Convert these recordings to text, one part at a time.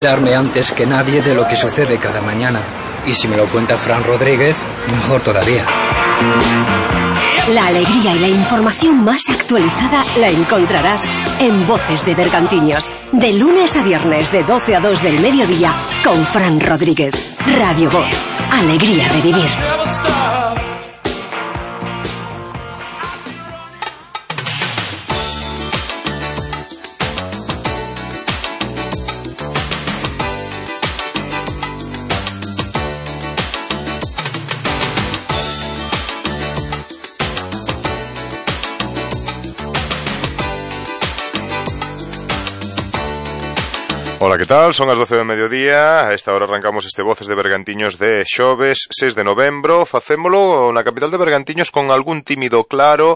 Enterarme antes que nadie de lo que sucede cada mañana. Y si me lo cuenta Fran Rodríguez, mejor todavía. La alegría y la información más actualizada la encontrarás en Voces de Bergantiños, de lunes a viernes de 12 a 2 del mediodía, con Fran Rodríguez. Radio Voz, alegría de vivir. Ola, que tal? Son as 12 do mediodía. A esta hora arrancamos este Voces de Bergantiños de xoves 6 de novembro. Facémolo na capital de Bergantiños con algún tímido claro.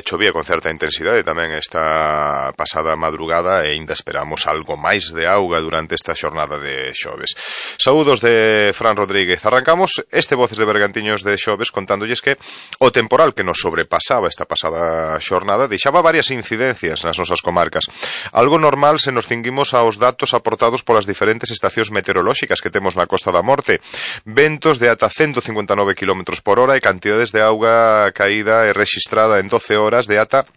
Chovía con certa intensidade tamén esta pasada madrugada e ainda esperamos algo máis de auga durante esta xornada de xoves. Saúdos de Fran Rodríguez. Arrancamos este Voces de Bergantiños de xoves contándolles que o temporal que nos sobrepasaba esta pasada xornada deixaba varias incidencias nas nosas comarcas. Algo normal se nos cinguimos aos datos aportados polas diferentes estacións meteorolóxicas que temos na Costa da Morte. Ventos de ata 159 km por hora e cantidades de auga caída e rexistrada en 12 horas de ata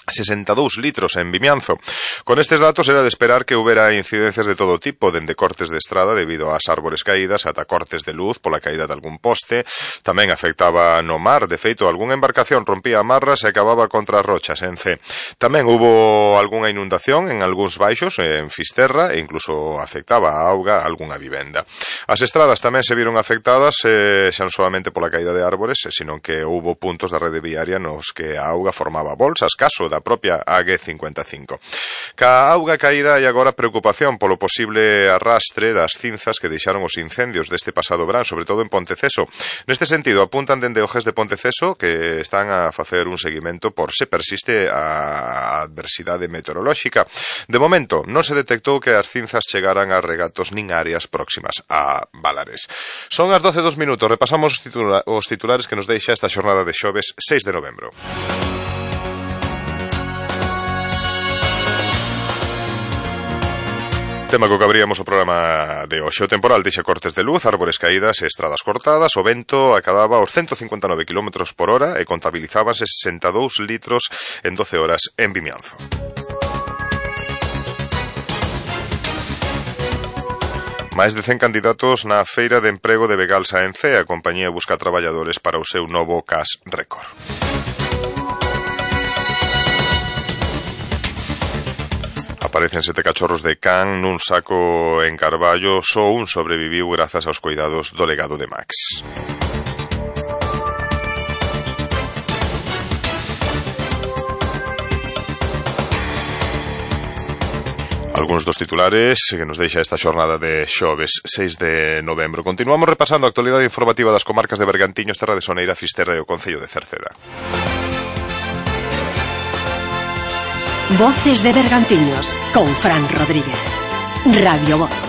62 litros en Vimianzo. Con estes datos era de esperar que houbera incidencias de todo tipo, dende cortes de estrada debido ás árbores caídas ata cortes de luz pola caída de algún poste. Tamén afectaba no mar, de feito, algunha embarcación rompía amarras e acababa contra as rochas en C. Tamén hubo algunha inundación en algúns baixos, en Fisterra, e incluso afectaba a auga a algunha vivenda. As estradas tamén se viron afectadas, xa non solamente pola caída de árbores, senón que houbo puntos da rede viaria nos que a auga formaba bolsas, caso da propia AG55. Ca auga caída hai agora preocupación polo posible arrastre das cinzas que deixaron os incendios deste pasado verán, sobre todo en Ponteceso. Neste sentido, apuntan dende o GES de Ponteceso que están a facer un seguimento por se persiste a adversidade meteorolóxica. De momento, non se detectou que as cinzas chegaran a regatos nin áreas próximas a Valares. Son as 12:02, repasamos os titulares que nos deixa esta xornada de xoves 6 de novembro. Tema co que abríamos o programa de hoxe. O temporal deixa cortes de luz, árbores caídas e estradas cortadas. O vento acadaba aos 159 km por hora e contabilizábanse 62 litros en 12 horas en Vimianzo. Máis de 100 candidatos na feira de emprego de Begalsa en C. A compañía busca traballadores para o seu novo CAS Récord. Aparecen 7 cachorros de can nun saco en Carballo. Só un sobreviviu grazas aos cuidados do legado de Max. Algúns dos titulares que nos deixa esta xornada de xoves 6 de novembro. Continuamos repasando a actualidade informativa das comarcas de Bergantiños, Terra de Soneira, Fisterra e o Concello de Cerceda. Voces de Bergantiños, con Fran Rodríguez. Radio Voz.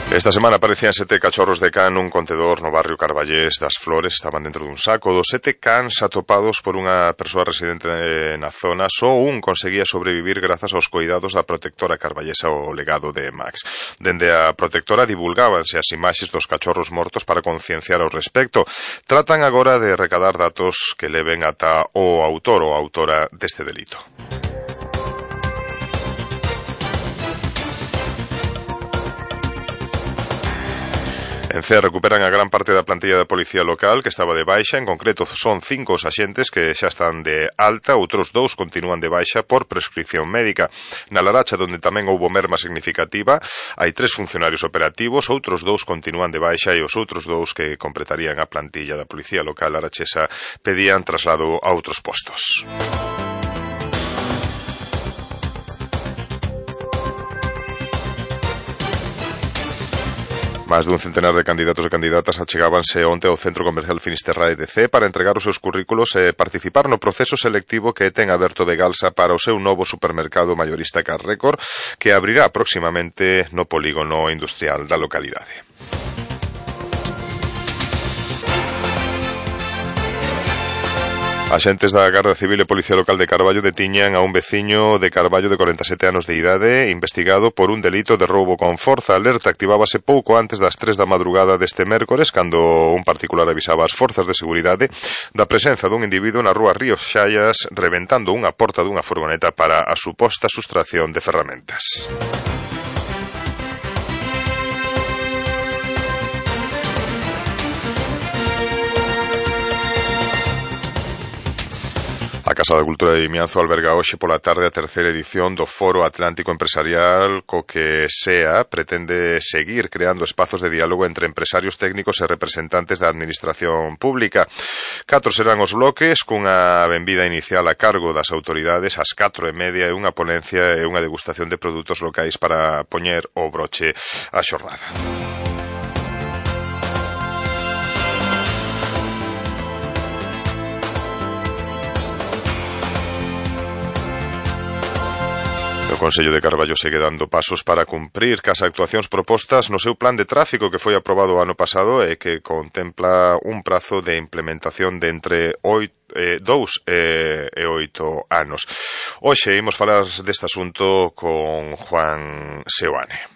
Esta semana aparecían 7 cachorros de can nun contedor no barrio Carballés das Flores. Estaban dentro dun saco. Dos 7 cans atopados por unha persoa residente na zona, só un conseguía sobrevivir grazas aos cuidados da protectora carballesa o legado de Max. Dende a protectora divulgábanse as imaxes dos cachorros mortos para concienciar ao respecto. Tratan agora de recadar datos que leven ata o autor ou autora deste delito. En CEA recuperan a gran parte da plantilla da policía local que estaba de baixa. En concreto son 5 os axentes que xa están de alta, outros 2 continúan de baixa por prescripción médica. Na Laracha, donde tamén houbo merma significativa, hai 3 funcionarios operativos, outros 2 continúan de baixa e os outros 2 que completarían a plantilla da policía local larachesa pedían traslado a outros postos. Más dun centenar de candidatos e candidatas achegábanse onte ao Centro Comercial Finisterra EDC para entregar os seus currículos e participar no proceso selectivo que ten aberto Begalsa para o seu novo supermercado maiorista CAS Récord, que abrirá próximamente no polígono industrial da localidade. Axentes da Garda Civil e Policía Local de Carballo detiñan a un veciño de Carballo de 47 anos de idade investigado por un delito de roubo con forza. A alerta activábase pouco antes das 3 da madrugada deste mércores, cando un particular avisaba as forzas de seguridade da presenza dun individuo na rúa Ríos Xallas reventando unha porta dunha furgoneta para a suposta sustracción de ferramentas. A Casa da Cultura de Vimianzo alberga hoxe pola tarde a terceira edición do Foro Atlántico Empresarial, co que SEA pretende seguir creando espazos de diálogo entre empresarios técnicos e representantes da administración pública. 4 serán os bloques, cunha benvida inicial a cargo das autoridades ás 4:30 e unha ponencia e unha degustación de produtos locais para poñer o broche á xornada. O Consello de Carballo segue dando pasos para cumprir cas actuacións propostas no seu plan de tráfico que foi aprobado o ano pasado e que contempla un prazo de implementación de entre 2 e 8 anos. Hoxe imos falar deste asunto con Juan Seoane.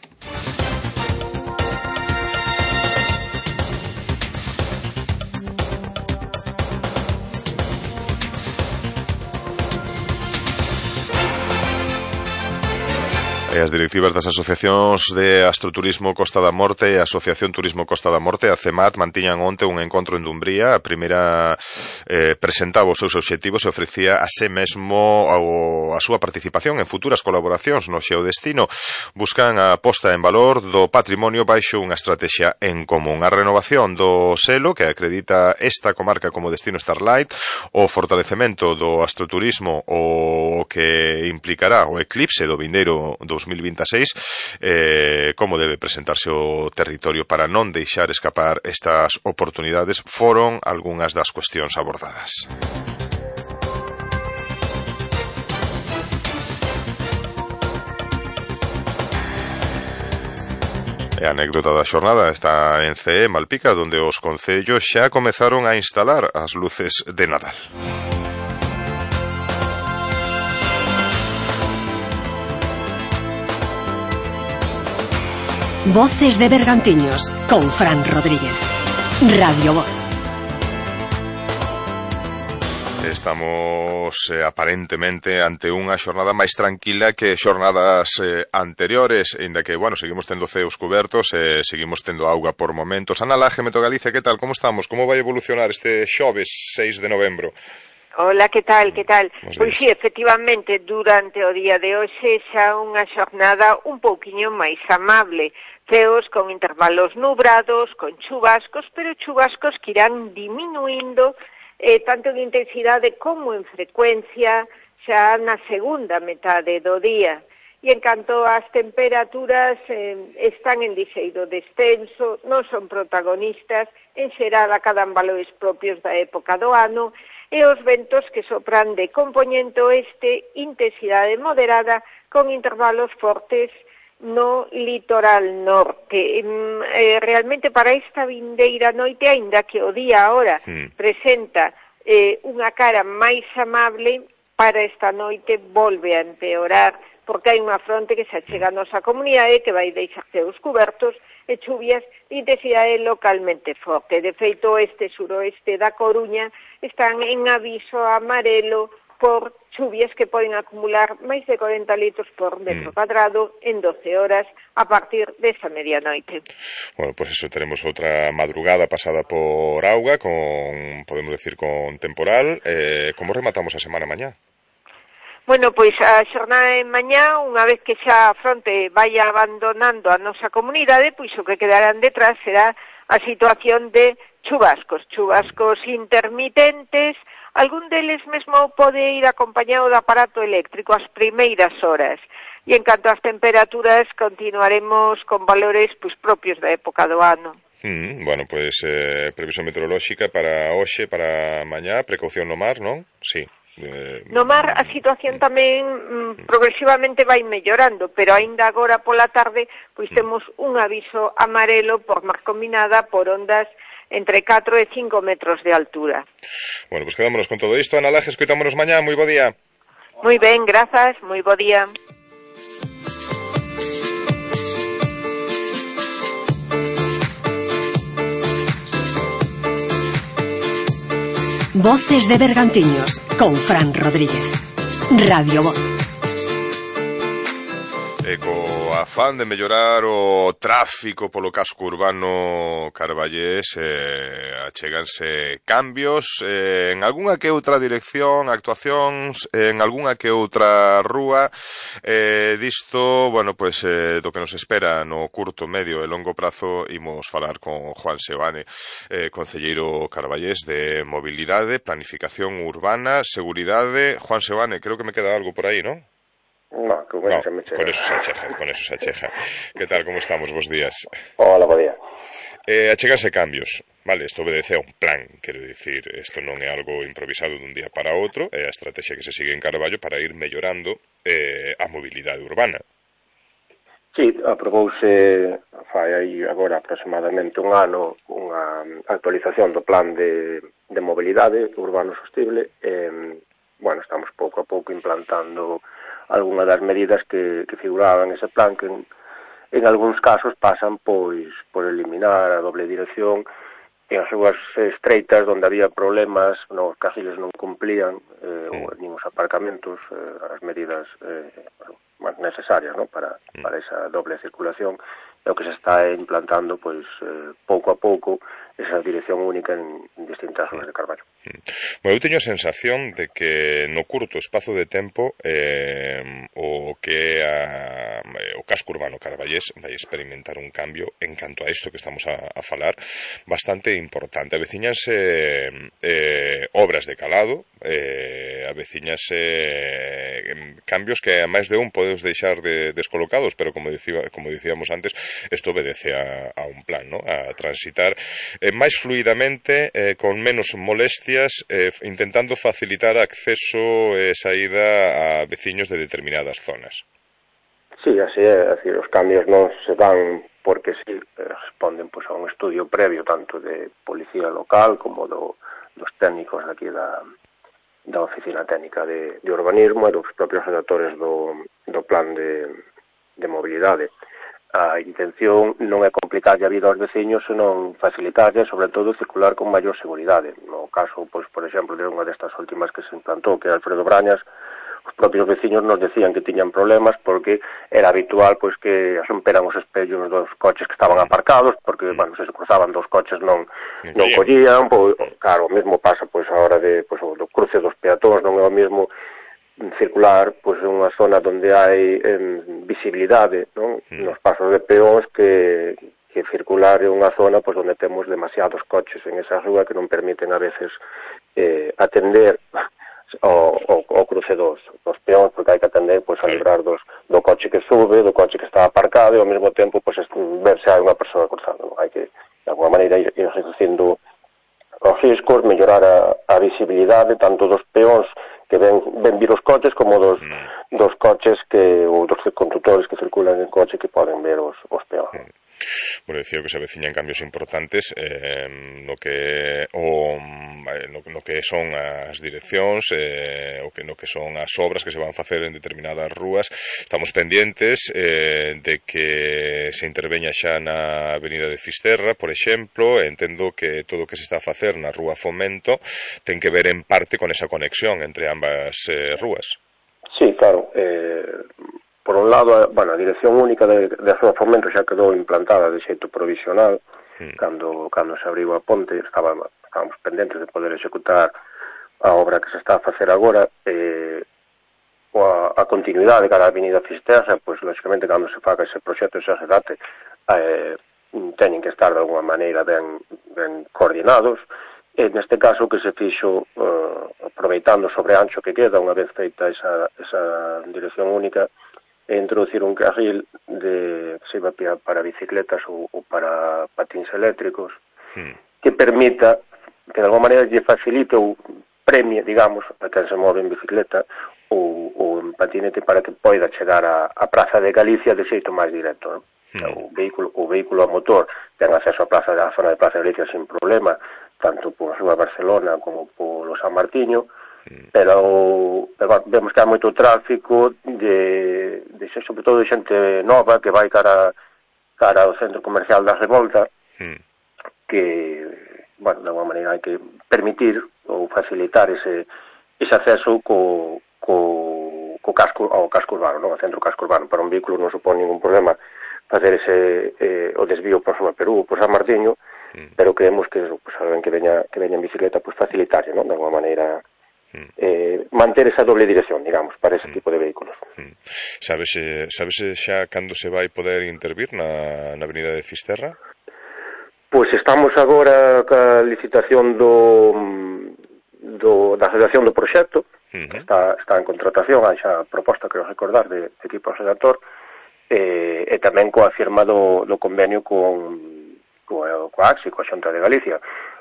As directivas das asociacións de Astroturismo Costa da Morte e a Asociación Turismo Costa da Morte, a CEMAT, mantiñan onte un encontro en Dumbría. A primeira presentaba os seus obxectivos e ofrecía a sé mesmo a súa participación en futuras colaboracións no xeodestino. Buscan a posta en valor do patrimonio baixo unha estrategia en común. A renovación do selo que acredita esta comarca como destino Starlight, o fortalecemento do astroturismo, o que implicará o eclipse do vindeiro 2026, como debe presentarse o territorio para non deixar escapar estas oportunidades, foron algunhas das cuestións abordadas. E a anécdota da xornada está en CE Malpica, onde os concellos xa comezaron a instalar as luces de Nadal. Voces de Bergantiños, con Fran Rodríguez. Radio Voz. Estamos aparentemente ante unha xornada máis tranquila que xornadas anteriores, ainda que, bueno, seguimos tendo ceos cubertos e seguimos tendo auga por momentos. Ana Laje, Meto Galicia, que tal? Como estamos? Como vai evolucionar este xoves 6 de novembro? Hola, que tal? Pois sí, efectivamente, durante o día de hoxe xa unha xornada un pouquiño máis amable. Ceos con intervalos nubrados, con chubascos, pero chubascos que irán diminuindo tanto en intensidade como en frecuencia xa na segunda metade do día. E en canto ás temperaturas están en lixeiro descenso, non son protagonistas, en xeral acadan valores propios da época do ano, e os ventos que sopran de compoñente oeste, intensidade moderada, con intervalos fortes no litoral norte. Realmente para esta vindeira noite, aínda que o día ahora presenta unha cara máis amable, para esta noite volve a empeorar, porque hai unha fronte que se achega a nosa comunidade que vai deixar ceos cubertos e chuvias de intensidade localmente forte. De feito, este suroeste da Coruña están en aviso amarelo por chuvias que poden acumular máis de 40 litros por metro cuadrado en 12 horas a partir desta medianoite. Bueno, pues eso, tenemos outra madrugada pasada por auga, con, podemos decir, con temporal. Como rematamos a semana mañá? Bueno, pois a xornada de mañá, unha vez que xa a fronte vai abandonando a nosa comunidade, pois o que quedarán detrás será a situación de chubascos intermitentes. Algún deles mesmo pode ir acompañado do aparato eléctrico ás primeiras horas. E en canto ás temperaturas, continuaremos con valores propios da época do ano. Bueno, pues previsión meteorolóxica para hoxe, para mañá, precaución no mar, non? Sí. No mar a situación tamén progresivamente vai mellorando, pero aínda agora pola tarde pois temos un aviso amarelo por mar combinada por ondas entre 4 e 5 metros de altura. Bueno, pues quedámonos con todo isto. Ana Laje, escoitámonos mañá. Moi bo día. Moi ben, grazas, moi bo día. Voces de Bergantiños con Fran Rodríguez. Radio Voz. Co afán de mellorar o tráfico polo casco urbano carballés, achéganse cambios en algunha que outra dirección, actuacións en algunha que outra rúa. Disto, bueno, pues do que nos espera no curto, medio e longo prazo, imos falar con Juan Seoane, concelleiro carballés de Mobilidade, Planificación Urbana, Seguridade. Juan Seoane, creo que me queda algo por aí, ¿no? No, con eso se acheja. ¿Qué tal? ¿Cómo estamos? Bos días. Hola, bo día. Achegarse cambios, vale, isto obedece a un plan, quero dicir, isto non é algo improvisado dun día para outro, é a estrategia que se sigue en Carballo para ir mellorando a mobilidade urbana. Sí, aprobouse fai aí agora aproximadamente un ano unha actualización do plan de mobilidade urbano sostible. Bueno, estamos pouco a pouco implantando algunha das medidas que figuraban ese plan, que en algúns casos pasan pois por eliminar a doble dirección en as ruas estreitas onde había problemas, os carriles non cumplían, nin os aparcamentos, as medidas necesarias, ¿no? para esa doble circulación. O que se está implantando, pois, pouco a pouco, esa dirección única en distintas zonas de Carballo. Bueno, eu teño a sensación de que no curto espazo de tempo o que o casco urbano carballés vai experimentar un cambio en canto a isto que estamos a falar bastante importante. Aveciñanse obras de calado, aveciñanse cambios que a máis de un podes deixar descolocados, pero como dicíamos antes, isto obedece a un plan, ¿no? A transitar máis fluidamente, con menos molestias, intentando facilitar acceso e saída a veciños de determinadas zonas. Sí, así é, decir, os cambios non se dan porque sí, responden pues, a un estudio previo tanto de policía local como dos técnicos aquí da Oficina Técnica de Urbanismo e dos propios redactores do plan de mobilidade. A intención non é complicarlle a vida aos veciños, senón facilitarlle, sobre todo, circular con maior seguridade. No caso, pois, por exemplo, de unha destas últimas que se implantou, que é Alfredo Brañas, os propios veciños nos decían que tiñan problemas porque era habitual pois que romperan os espellos dos coches que estaban aparcados, porque, bueno, se cruzaban dos coches non collían, pois, claro, o mesmo pasa pois a hora do cruce dos peatóns, non é o mesmo circular pois en unha zona onde hai visibilidade, non? Nos pasos de peóns que circular en unha zona pois onde temos demasiados coches en esa rúa que non permiten a veces atender o cruce dos peóns, porque hai que atender pois a librar do coche que sube, do coche que está aparcado e ao mesmo tempo pois ver se hai unha persoa cruzando, non? Hai que de alguma maneira ir reducindo os riscos, mellorar a visibilidade tanto dos peóns que ven vir os coches como dos coches ou dos condutores que circulan en coche que poden ver os peóns. Bueno, decía que se aveciñan cambios importantes no que son as direccións, no que son as obras que se van facer en determinadas rúas. Estamos pendientes de que se interveña xa na avenida de Fisterra, por exemplo. Entendo que todo o que se está a facer na rúa Fomento ten que ver en parte con esa conexión entre ambas rúas. Sí, claro. Por un lado, bueno, a dirección única de Rúa Fomento xa quedou implantada de xeito provisional cando se abriu a ponte, estábamos pendentes de poder executar a obra que se está a facer agora. A continuidade cara a Avenida Fisterra, pois, lógicamente, cando se faga ese proxecto, ese date, teñen que estar de alguma maneira ben coordinados. Neste caso, que se fixo aproveitando sobre ancho que queda, unha vez feita esa dirección única, introducir un carril que se iba para bicicletas ou para patins eléctricos que permita, que de alguma maneira lle facilite ou premie, digamos, a quen se move en bicicleta ou en patinete para que poida chegar á Praza de Galicia de xeito máis directo, non? O vehículo a motor ten acceso á zona de Plaza de Galicia sin problema, tanto por a Barcelona como polo San Martiño, pero vemos que hai moito tráfico de sobre todo de xente nova que vai cara ao centro comercial da Revolta, que, bueno, de alguma maneira hai que permitir ou facilitar ese acceso ao casco urbano, non? Ao centro casco urbano. Para un vehículo non supón ningún problema facer o desvío por Soma Perú ou por San Martiño, pero creemos que pues, alguén que veña en bicicleta pues, facilitarlle, non? De alguma maneira manter esa doble dirección, digamos, para ese tipo de vehículos. Sabes xa cando se vai poder intervir na avenida de Fisterra? Pois estamos agora ca licitación da redacción do proxecto, que está en contratación, hai xa proposta, creo recordar, de equipo redactor, e tamén coa firma do convenio coa AXI, coa Xunta de Galicia.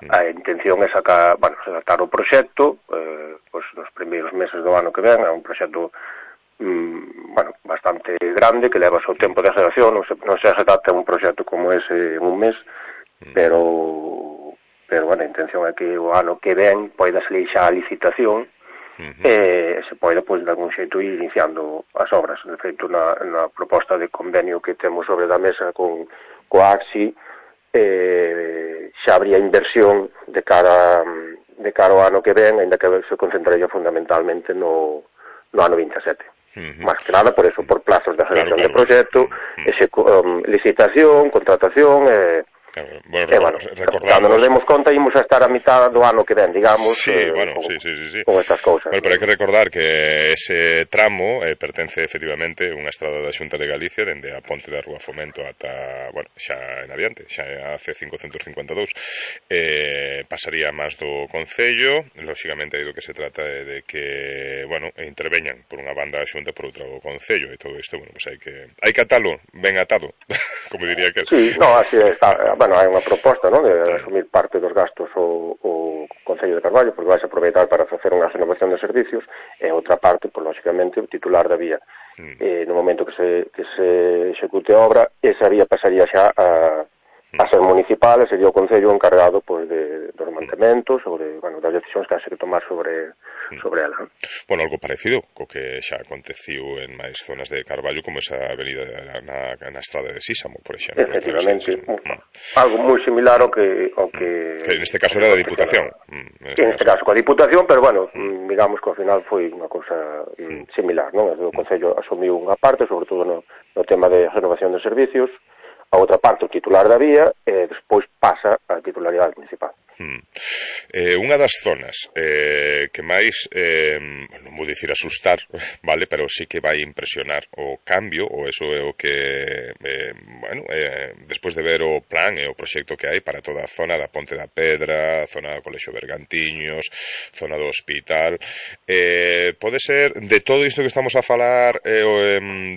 A intención é redactar o proxecto nos primeiros meses do ano que ven. É un proxecto bastante grande, que leva o seu tempo de redacción, non se redacta un proxecto como ese en un mes, pero a intención é que o ano que ven poida salir xa a licitación e se pode, pois, de algún xeito ir iniciando as obras. De feito, na proposta de convenio que temos sobre da mesa coa AXI, xa habría inversión de cara ao ano que ven, ainda que se concentraría fundamentalmente no ano 27. Más que nada por eso, por plazos de redacción de proxecto, licitación, contratación cando nos demos conta ímos a estar a mitad do ano que ven, digamos, con estas cousas. Bueno, pero hai que recordar que ese tramo pertence efectivamente unha estrada da Xunta de Galicia dende a ponte da Rúa Fomento ata, xa en adiante, xa a C552, pasaría máis do Concello. Lóxicamente aí do que se trata é de que, interveñan por unha banda a Xunta, por outra o Concello, e todo isto, hai que atalo ben atado, como diría que... Sí, así está. Hai unha proposta, non, de asumir parte dos gastos o Concello de Carballo, porque vais a aproveitar para facer unha renovación de servicios, e outra parte, lógicamente, o titular da vía. No momento que se execute a obra, esa vía pasaría xa a ser municipal, e sería o Concello encargado dos mantementos ou das decisións que haxe que tomar sobre ela. Algo parecido co que xa aconteciu en máis zonas de Carballo, como esa avenida na estrada de Sísamo, por exemplo. Efectivamente, algo moi similar ao que neste caso era da Diputación. Neste caso coa Diputación, pero digamos que ao final foi unha cousa similar, non? O Concello asumiu unha parte, sobre todo no tema de renovación de servicios, a outra parte o titular da vía, e despois pasa a titularidade municipal. Unha das zonas que máis, non vou dicir asustar, vale, pero sí que vai impresionar o cambio, ou eso é o que, despois de ver o plan e o proxecto que hai para toda a zona da Ponte da Pedra, zona do Colexio Bergantiños, zona do hospital, pode ser de todo isto que estamos a falar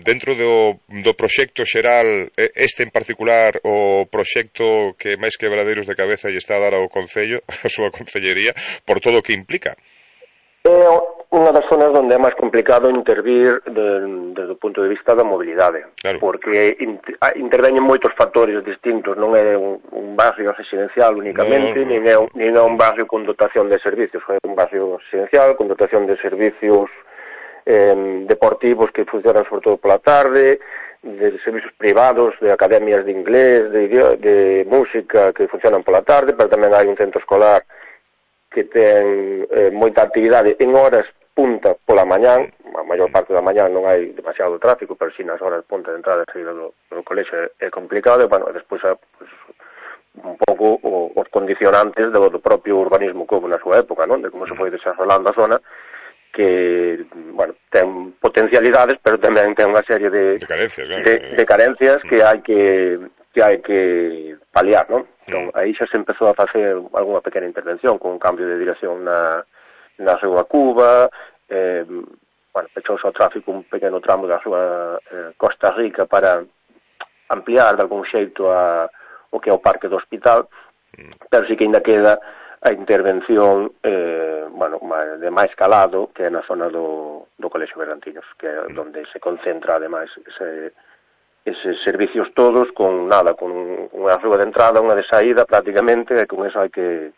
dentro do proxecto xeral, este en particular o proxecto que máis quebradeiros de cabeza lle está a dar ao Concello, a súa Concellería, por todo o que implica? É unha das zonas onde é máis complicado intervir desde o punto de vista da mobilidade, porque interveñen moitos factores distintos, non é un barrio residencial únicamente, nin é un barrio con dotación de servicios, é un barrio residencial con dotación de servicios deportivos que funcionan sobre todo pola tarde, de servicios privados, de academias de inglés, de música que funcionan pola tarde, pero tamén hai un centro escolar que ten moita actividade en horas punta pola mañán. A maior parte da mañán non hai demasiado tráfico, pero si nas horas punta de entrada e saída do colexio é complicado, e despois un pouco os condicionantes do propio urbanismo que houve na súa época, non? De como se foi desarrollando a zona, que, ten potencialidades, pero tamén ten unha serie de carencias que hai que paliar, non? Entón, aí xa se empezou a facer algunha pequena intervención con un cambio de dirección na Rúa Cuba, pechouse ao tráfico un pequeno tramo da Rúa Costa Rica para ampliar de algún xeito o que é o parque do hospital, pero sí que ainda queda a intervención de máis calado, que é na zona do Colexio Bergantiños, que é onde se concentra ademais eses servicios todos con unha rúa de entrada, unha de saída prácticamente, e con eso hai que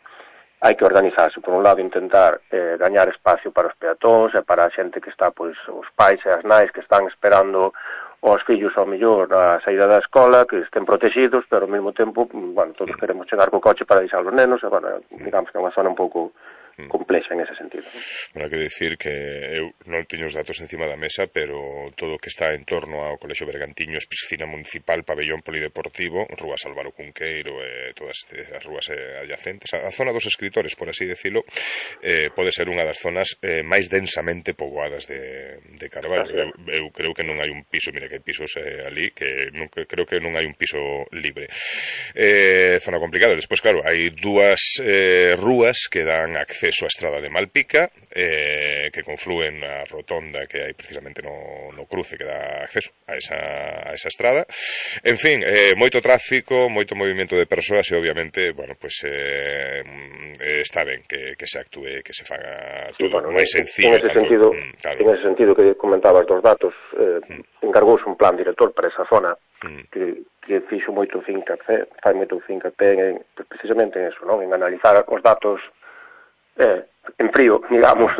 organizarse. Por un lado, intentar gañar espacio para os peatóns e para a xente que está, pois, os pais e as nais que están esperando os fillos ao mellor na saída da escola, que estén protegidos, pero ao mesmo tempo, bueno, todos queremos chegar co coche para deixar os nenos, e, bueno, digamos que é unha zona un pouco complexa en ese sentido. Bueno, hai que dicir que eu non teño os datos encima da mesa, pero todo o que está en torno ao Colexio Bergantiños, piscina municipal, pabellón polideportivo, Rúas Álvaro Cunqueiro e todas as rúas adyacentes, a zona dos escritores, por así decirlo, pode ser unha das zonas máis densamente poboadas de Carballo. Eu creo que non hai un piso, mira que hai pisos ali, que creo que non hai un piso libre. Zona complicada. Despois, claro, hai dúas rúas que dan acceso a Estrada de Malpica, que conflúen na rotonda que hai precisamente no cruce que dá acceso a esa estrada. En fin, moito tráfico, moito movimento de persoas e obviamente, bueno, pues está ben que se actúe, que se faga todo máis sencillo. En ese sentido que comentabas dos datos, encargouse un plan director para esa zona que fixo moito fincapé, fai moito fincapé precisamente en eso, non? En analizar os datos en frío, digamos,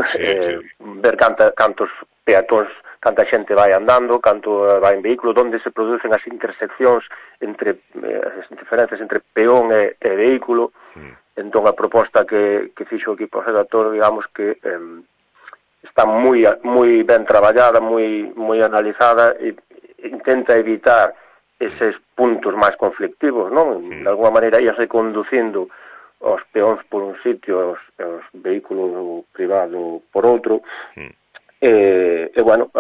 ver cantos peatóns, canta xente vai andando, canto vai en vehículo, onde se producen as interseccións entre as diferencias entre peón e vehículo. Entón a proposta que fixo o equipo redactor, digamos que está moi ben traballada, moi analizada, e intenta evitar eses puntos máis conflictivos, non? De alguma maneira ia reconducindo os peóns por un sitio, os vehículos privados por outro, e bueno,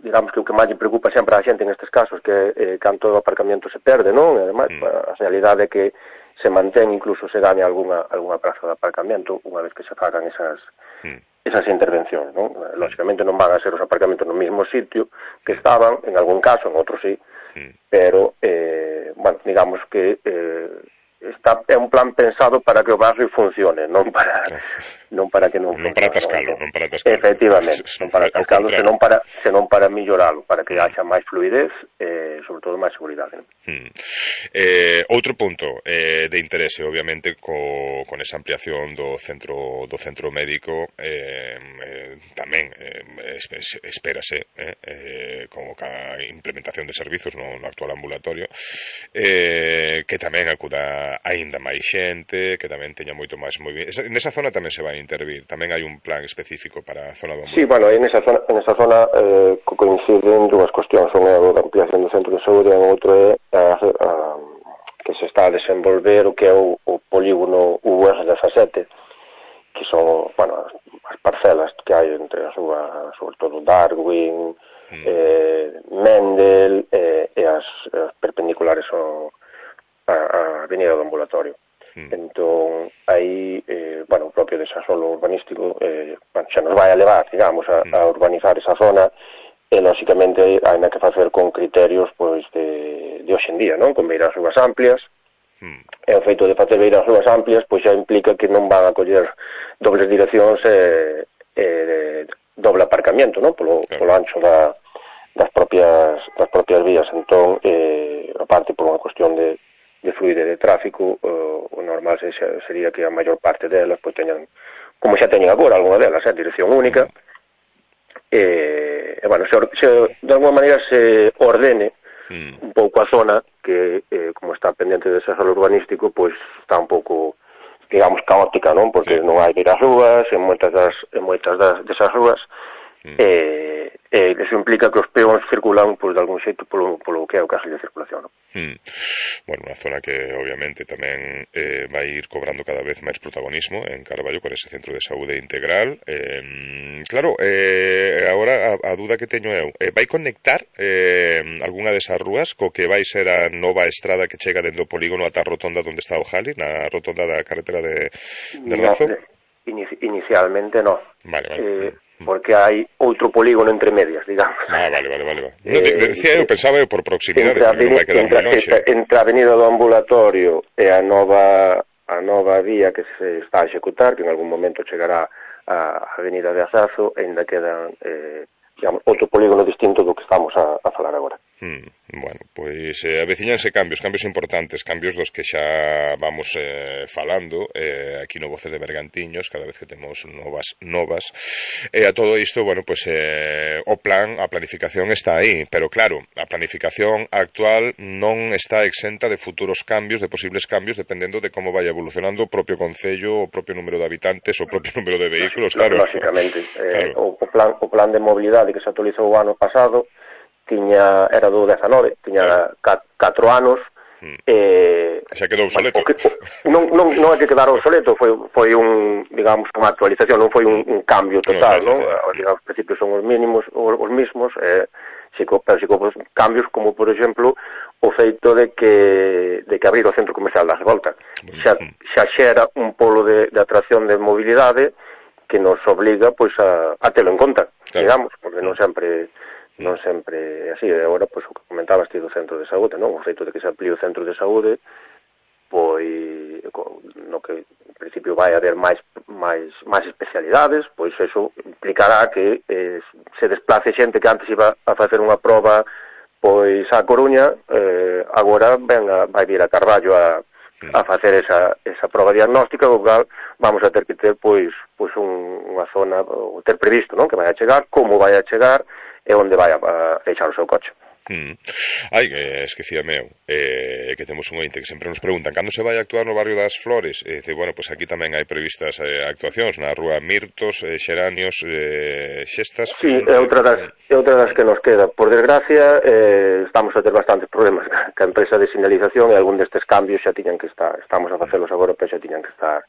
digamos que o que máis lle preocupa sempre a xente nestes casos que canto o aparcamiento se perde, non? E ademais, a realidade é que se mantén, incluso se gaña algunha praza de aparcamiento unha vez que se fagan esas intervencións, non? Lógicamente non van a ser os aparcamentos no mesmo sitio que estaban, en algún caso, en outro sí, pero, bueno, digamos que é un plan pensado para que o barrio funcione, non para que non funcione. Non para atascalo. Efectivamente, non para atascalo, senón para milloralo, para que haxa máis fluidez e, sobre todo, máis seguridade. Outro punto de interese, obviamente, con esa ampliación do centro médico, tamén espérase, como a implementación de servizos no actual ambulatorio, que tamén acuda aínda máis xente, que tamén teña moito máis movimento. Nesa zona tamén se vai intervir, tamén hai un plan específico para a zona do ambulatorio. Sí, bueno, en esa zona coinciden dúas cuestións, son a ampliación do centro de saúde e outro é que se está a desenvolver o que é o polígono UR17, que son, bueno, as parcelas que hai entre as súas, sobre todo Darwin, Mendel e as perpendiculares a avenida do ambulatorio. Entón, aí, bueno, o propio desarrollo urbanístico xa nos vai a levar, digamos, a urbanizar esa zona, e, lógicamente, hai que facer con criterios, pois, de hoxe en día, non? Con beiras rúas amplias, e o feito de facer beiras rúas amplias, pois xa implica que non van a coller dobles direccións e doble aparcamiento, non? Polo ancho das propias vías. Entón, aparte, por unha cuestión de fluidez de tráfico, o normal sería que a maior parte delas pois teñan, como xa teñen agora algunha delas, dirección única, e bueno, de alguma maneira se ordene un pouco a zona que, como está pendente de desarrollo urbanístico, pois está un pouco, digamos, caótica, non? Porque non hai viras rúas en moitas desas rúas, e eso implica que os peóns circulan, pois, de algún xeito polo que é o carril de circulación, non? Bueno, unha zona que obviamente tamén vai ir cobrando cada vez máis protagonismo en Carballo con ese centro de saúde integral. Claro, agora a dúda que teño eu, vai conectar algunha desas rúas co que vai ser a nova estrada que chega dentro do polígono ata a rotonda onde está o Jali, na rotonda da carretera de Razo? Inicialmente non. Vale. Porque hai outro polígono entre medias, digamos. Vale. Decía eu, pensaba eu por proximidade, porque non vai quedar moi longe. Entre a avenida do ambulatorio e a nova vía que se está a executar, que en algún momento chegará a avenida de Asazo, ainda quedan, digamos, outro polígono distinto do que estamos a falar agora. Bueno, pois aveciñanse cambios importantes, cambios dos que xa vamos falando aquí no Voces de Bergantiños, cada vez que temos novas a todo isto, bueno, pois o plan, a planificación está aí, pero claro, a planificación actual non está exenta de futuros cambios, de posibles cambios, dependendo de como vai evolucionando o propio concello, o propio número de habitantes, o propio número de vehículos, claro. Lógicamente, claro. O plan de mobilidade que se actualizou o ano pasado era do 19, tiña 4 anos, xa quedou obsoleto. Non é que quedara obsoleto, foi digamos, unha actualización, non foi un cambio total, non? Os principios son os mesmos, pero si con cambios como, por exemplo, o feito de que abrir o centro comercial da Revolta xa xera un polo de atracción de mobilidade que nos obliga pois a telo en conta, digamos, porque non sempre é así. Agora, pois, o que comentabas ti do centro de saúde, non? O feito de que se amplíe o centro de saúde, pois, no que en principio vai haber máis especialidades, pois eso implicará que se desplace xente que antes iba a facer unha proba pois a Coruña, agora vai vir a Carballo a facer esa proba diagnóstica, o cal vamos a ter que ter pois unha zona, ou ter previsto, non? Que vai a chegar, como vai a chegar, e onde vai a deixar o seu coche. Esquecíame que temos un ointe que sempre nos preguntan cando se vai a actuar no barrio das Flores, bueno, pois aquí tamén hai previstas actuacións na rúa Mirtos, Xeranios, Xestas. Sí, é outra das que nos queda. Por desgracia, estamos a ter bastantes problemas ca empresa de señalización, e algún destes cambios xa tiñan que estar, estamos a facelos agora, pero xa tiñan que estar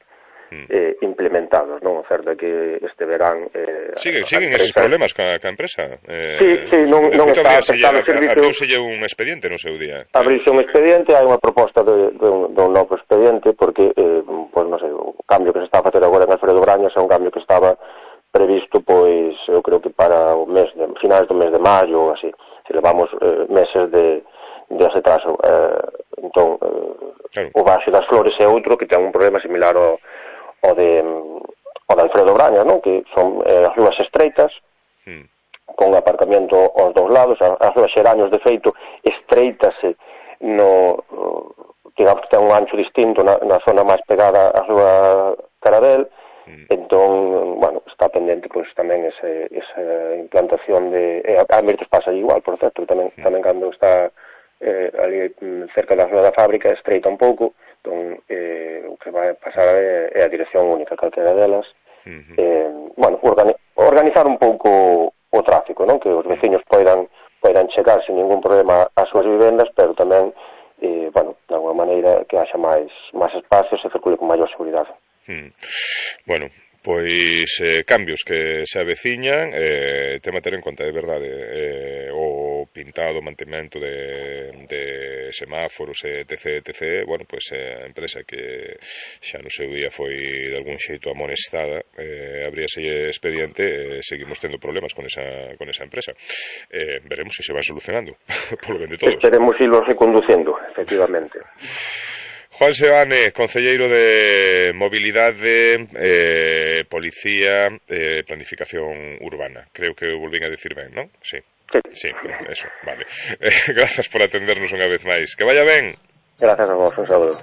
implementados, non? O certo é que este verán siguen esos problemas ca empresa. Sí, non está aceptado o servicio. Abriuselle un expediente no seu día. Abriuse un expediente, hai unha proposta de un novo expediente, porque pois non sei, o cambio que se está a facer agora en Alfredo Brañas é un cambio que estaba previsto, pois eu creo que para o finais do mes de maio ou así. Se levamos meses de atraso. Entón, claro. O Baixo das Flores é outro que ten un problema similar ao de Alfredo Brañas, non? Que son as rúas estreitas, con aparcamiento aos dous lados. As rúas Xeranios, de feito, estreitase digamos que ten un ancho distinto na zona máis pegada á rúa Carabel. Entón, bueno, está pendente pois tamén esa implantación de... A Mirtos pasa igual, por certo, tamén cando está ali cerca da rúa da fábrica estreita un pouco. Entón, o que vai pasar é a dirección única, calquera delas. Bueno, organizar un pouco o tráfico, non? Que os veciños poidan chegar sin ningún problema ás súas vivendas, pero tamén, bueno, de alguma maneira que haxa máis espacios e circule con maior seguridade. Bueno, pois cambios que se aveciñan, tema a ter en conta, de verdade, o pintado, mantemento de semáforos, etc. Bueno, pois a empresa que xa no seu día foi de algún xeito amonestada, abríase expediente, seguimos tendo problemas con esa empresa. Veremos se van solucionando, polo ben de todos. Esperemos irlos reconduciendo, efectivamente. Juan Seoane, concelleiro de Mobilidade, Policía, Planificación Urbana. Creo que volvín a decir ben, non? Sí, eso, vale. Grazas por atendernos unha vez máis. Que vaya ben. Grazas a vos, un saludo.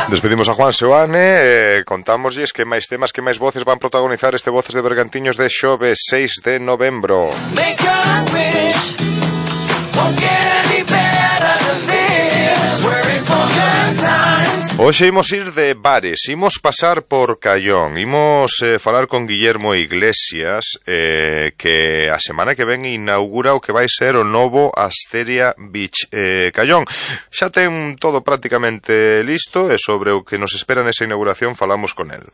Despedimos a Juan Seoane, contámoslles que máis temas, que máis voces van protagonizar este Voces de Bergantiños de xoves 6 de novembro. Hoxe imos ir de bares, imos pasar por Callón, imos falar con Guillermo Iglesias, que a semana que ven inaugura o que vai ser o novo Asteria Beach Callón. Xa ten todo prácticamente listo e sobre o que nos espera nesa inauguración falamos con el.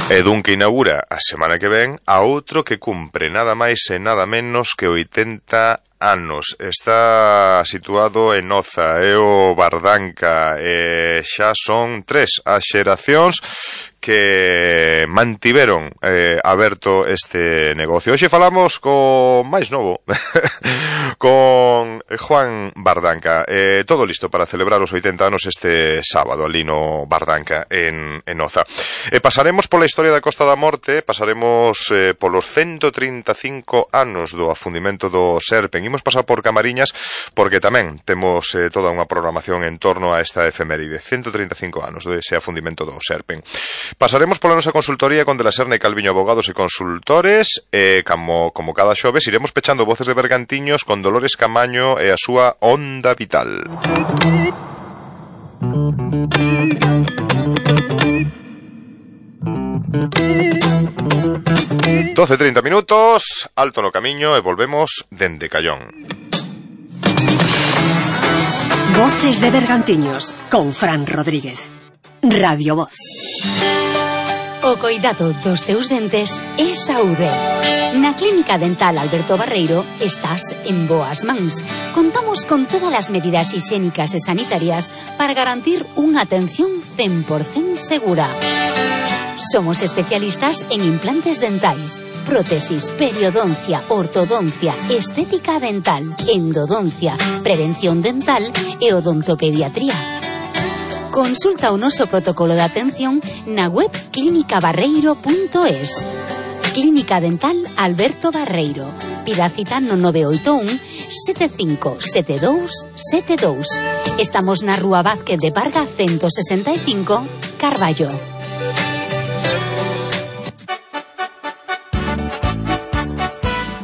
E dun que inaugura a semana que ven a outro que cumpre nada máis e nada menos que 80 anos. Está situado en Oza, é o Bardanca, e xa son 3 as xeracións que mantiveron aberto este negocio. Hoxe falamos co máis novo, con Juan Bardanca. Todo listo para celebrar os 80 anos este sábado, ali no Bardanca, en Oza. Pasaremos pola historia da Costa da Morte, pasaremos polos 135 anos do afundimento do Serpen. Imos pasar por Camariñas, porque tamén temos toda unha programación en torno a esta efeméride, 135 anos dese afundimento do Serpen. Pasaremos pola nosa consultoría con De la Serna e Calviño Abogados e Consultores, e como cada xoves iremos pechando Voces de Bergantiños con Dolores Camaño e a súa Onda Vital. 12:30 minutos, alto no camiño e volvemos dende Callón. Voces de Bergantiños con Fran Rodríguez. Radio Voz. O coidado dos teus dentes é saúde. Na Clínica Dental Alberto Barreiro estás en boas mans. Contamos con todas as medidas higiénicas e sanitarias para garantir unha atención 100% segura. Somos especialistas en implantes dentais, prótesis, periodoncia, ortodoncia, estética dental, endodoncia, prevención dental e odontopediatría. Consulta o noso protocolo de atención na web clinicabarreiro.es. Clínica Dental Alberto Barreiro. Pida cita no 981 757272. Estamos na Rúa Vázquez de Parga 165, Carballo.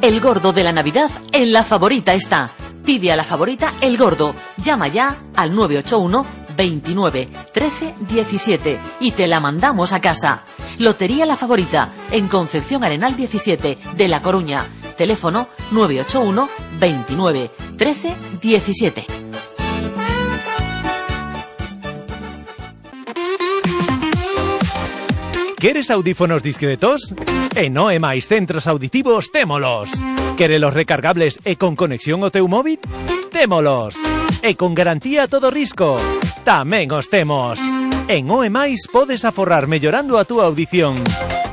El gordo de la Navidad en La Favorita está. Pide a La Favorita el gordo. Llama ya al 981 29 13 17 y te la mandamos a casa. Lotería La Favorita en Concepción Arenal 17 de La Coruña. Teléfono 981 29 13 17. ¿Queres audífonos discretos? En OEMAIS Centros Auditivos témolos. ¿Querelos recargables e con conexión ao teu móvil? Témolos. E con garantía a todo risco. Tamén os temos. En OEMAIS podes aforrar mellorando a túa audición.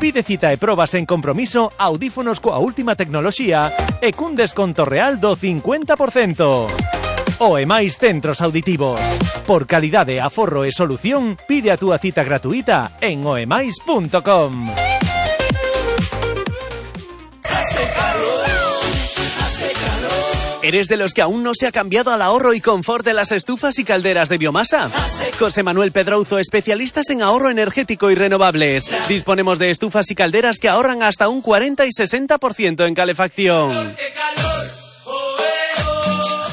Pide cita e probas en compromiso audífonos coa última tecnoloxía e cun desconto real do 50%. OEMAIS Centros Auditivos. Por calidade, aforro e solución, pide a túa cita gratuita en oemais.com. ¿Eres de los que aún no se ha cambiado al ahorro y confort de las estufas y calderas de biomasa? José Manuel Pedrouzo, especialistas en ahorro energético y renovables. Disponemos de estufas y calderas que ahorran hasta un 40 y 60% en calefacción.